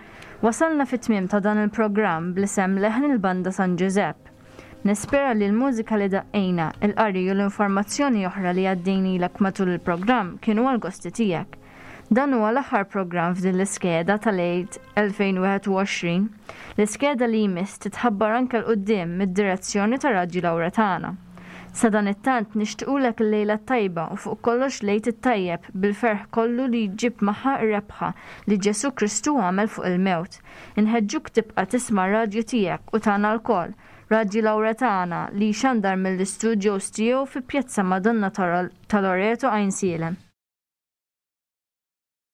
wasalna fit-tmiem ta' dan il-programm bl-isem Leħen il-Banda San Ġużepp. Nispera li l-mużika li daqqejna, il-qari u l-informazzjoni oħra li għaddejnilek matul il-programm kienu għal-gosti tiegħek. Dan huwa l-aħħar programm f'din l-iskeda tal-Għid elfejn u wieħed u għoxrin. L-iskeda li jmiss titħabbar anke 'l quddiem mid-direzzjoni ta' Radju Lawretana. Sadanittant nixtiequlek il-lejla t-tajba u fuq kollox l-Għid it-tajjeb bil-ferħ kollu li jġib magħha r-rebħa li Ġesu Kristu għamel fuq il-mewt. Inħeġġuk tibqa' tisma' r-radju tiegħek u tagħna lkoll, Radju Lawretana li jxandar mill-istudios tiegħu fi Pjazza Madonna ta' Loreto Għajnsielem.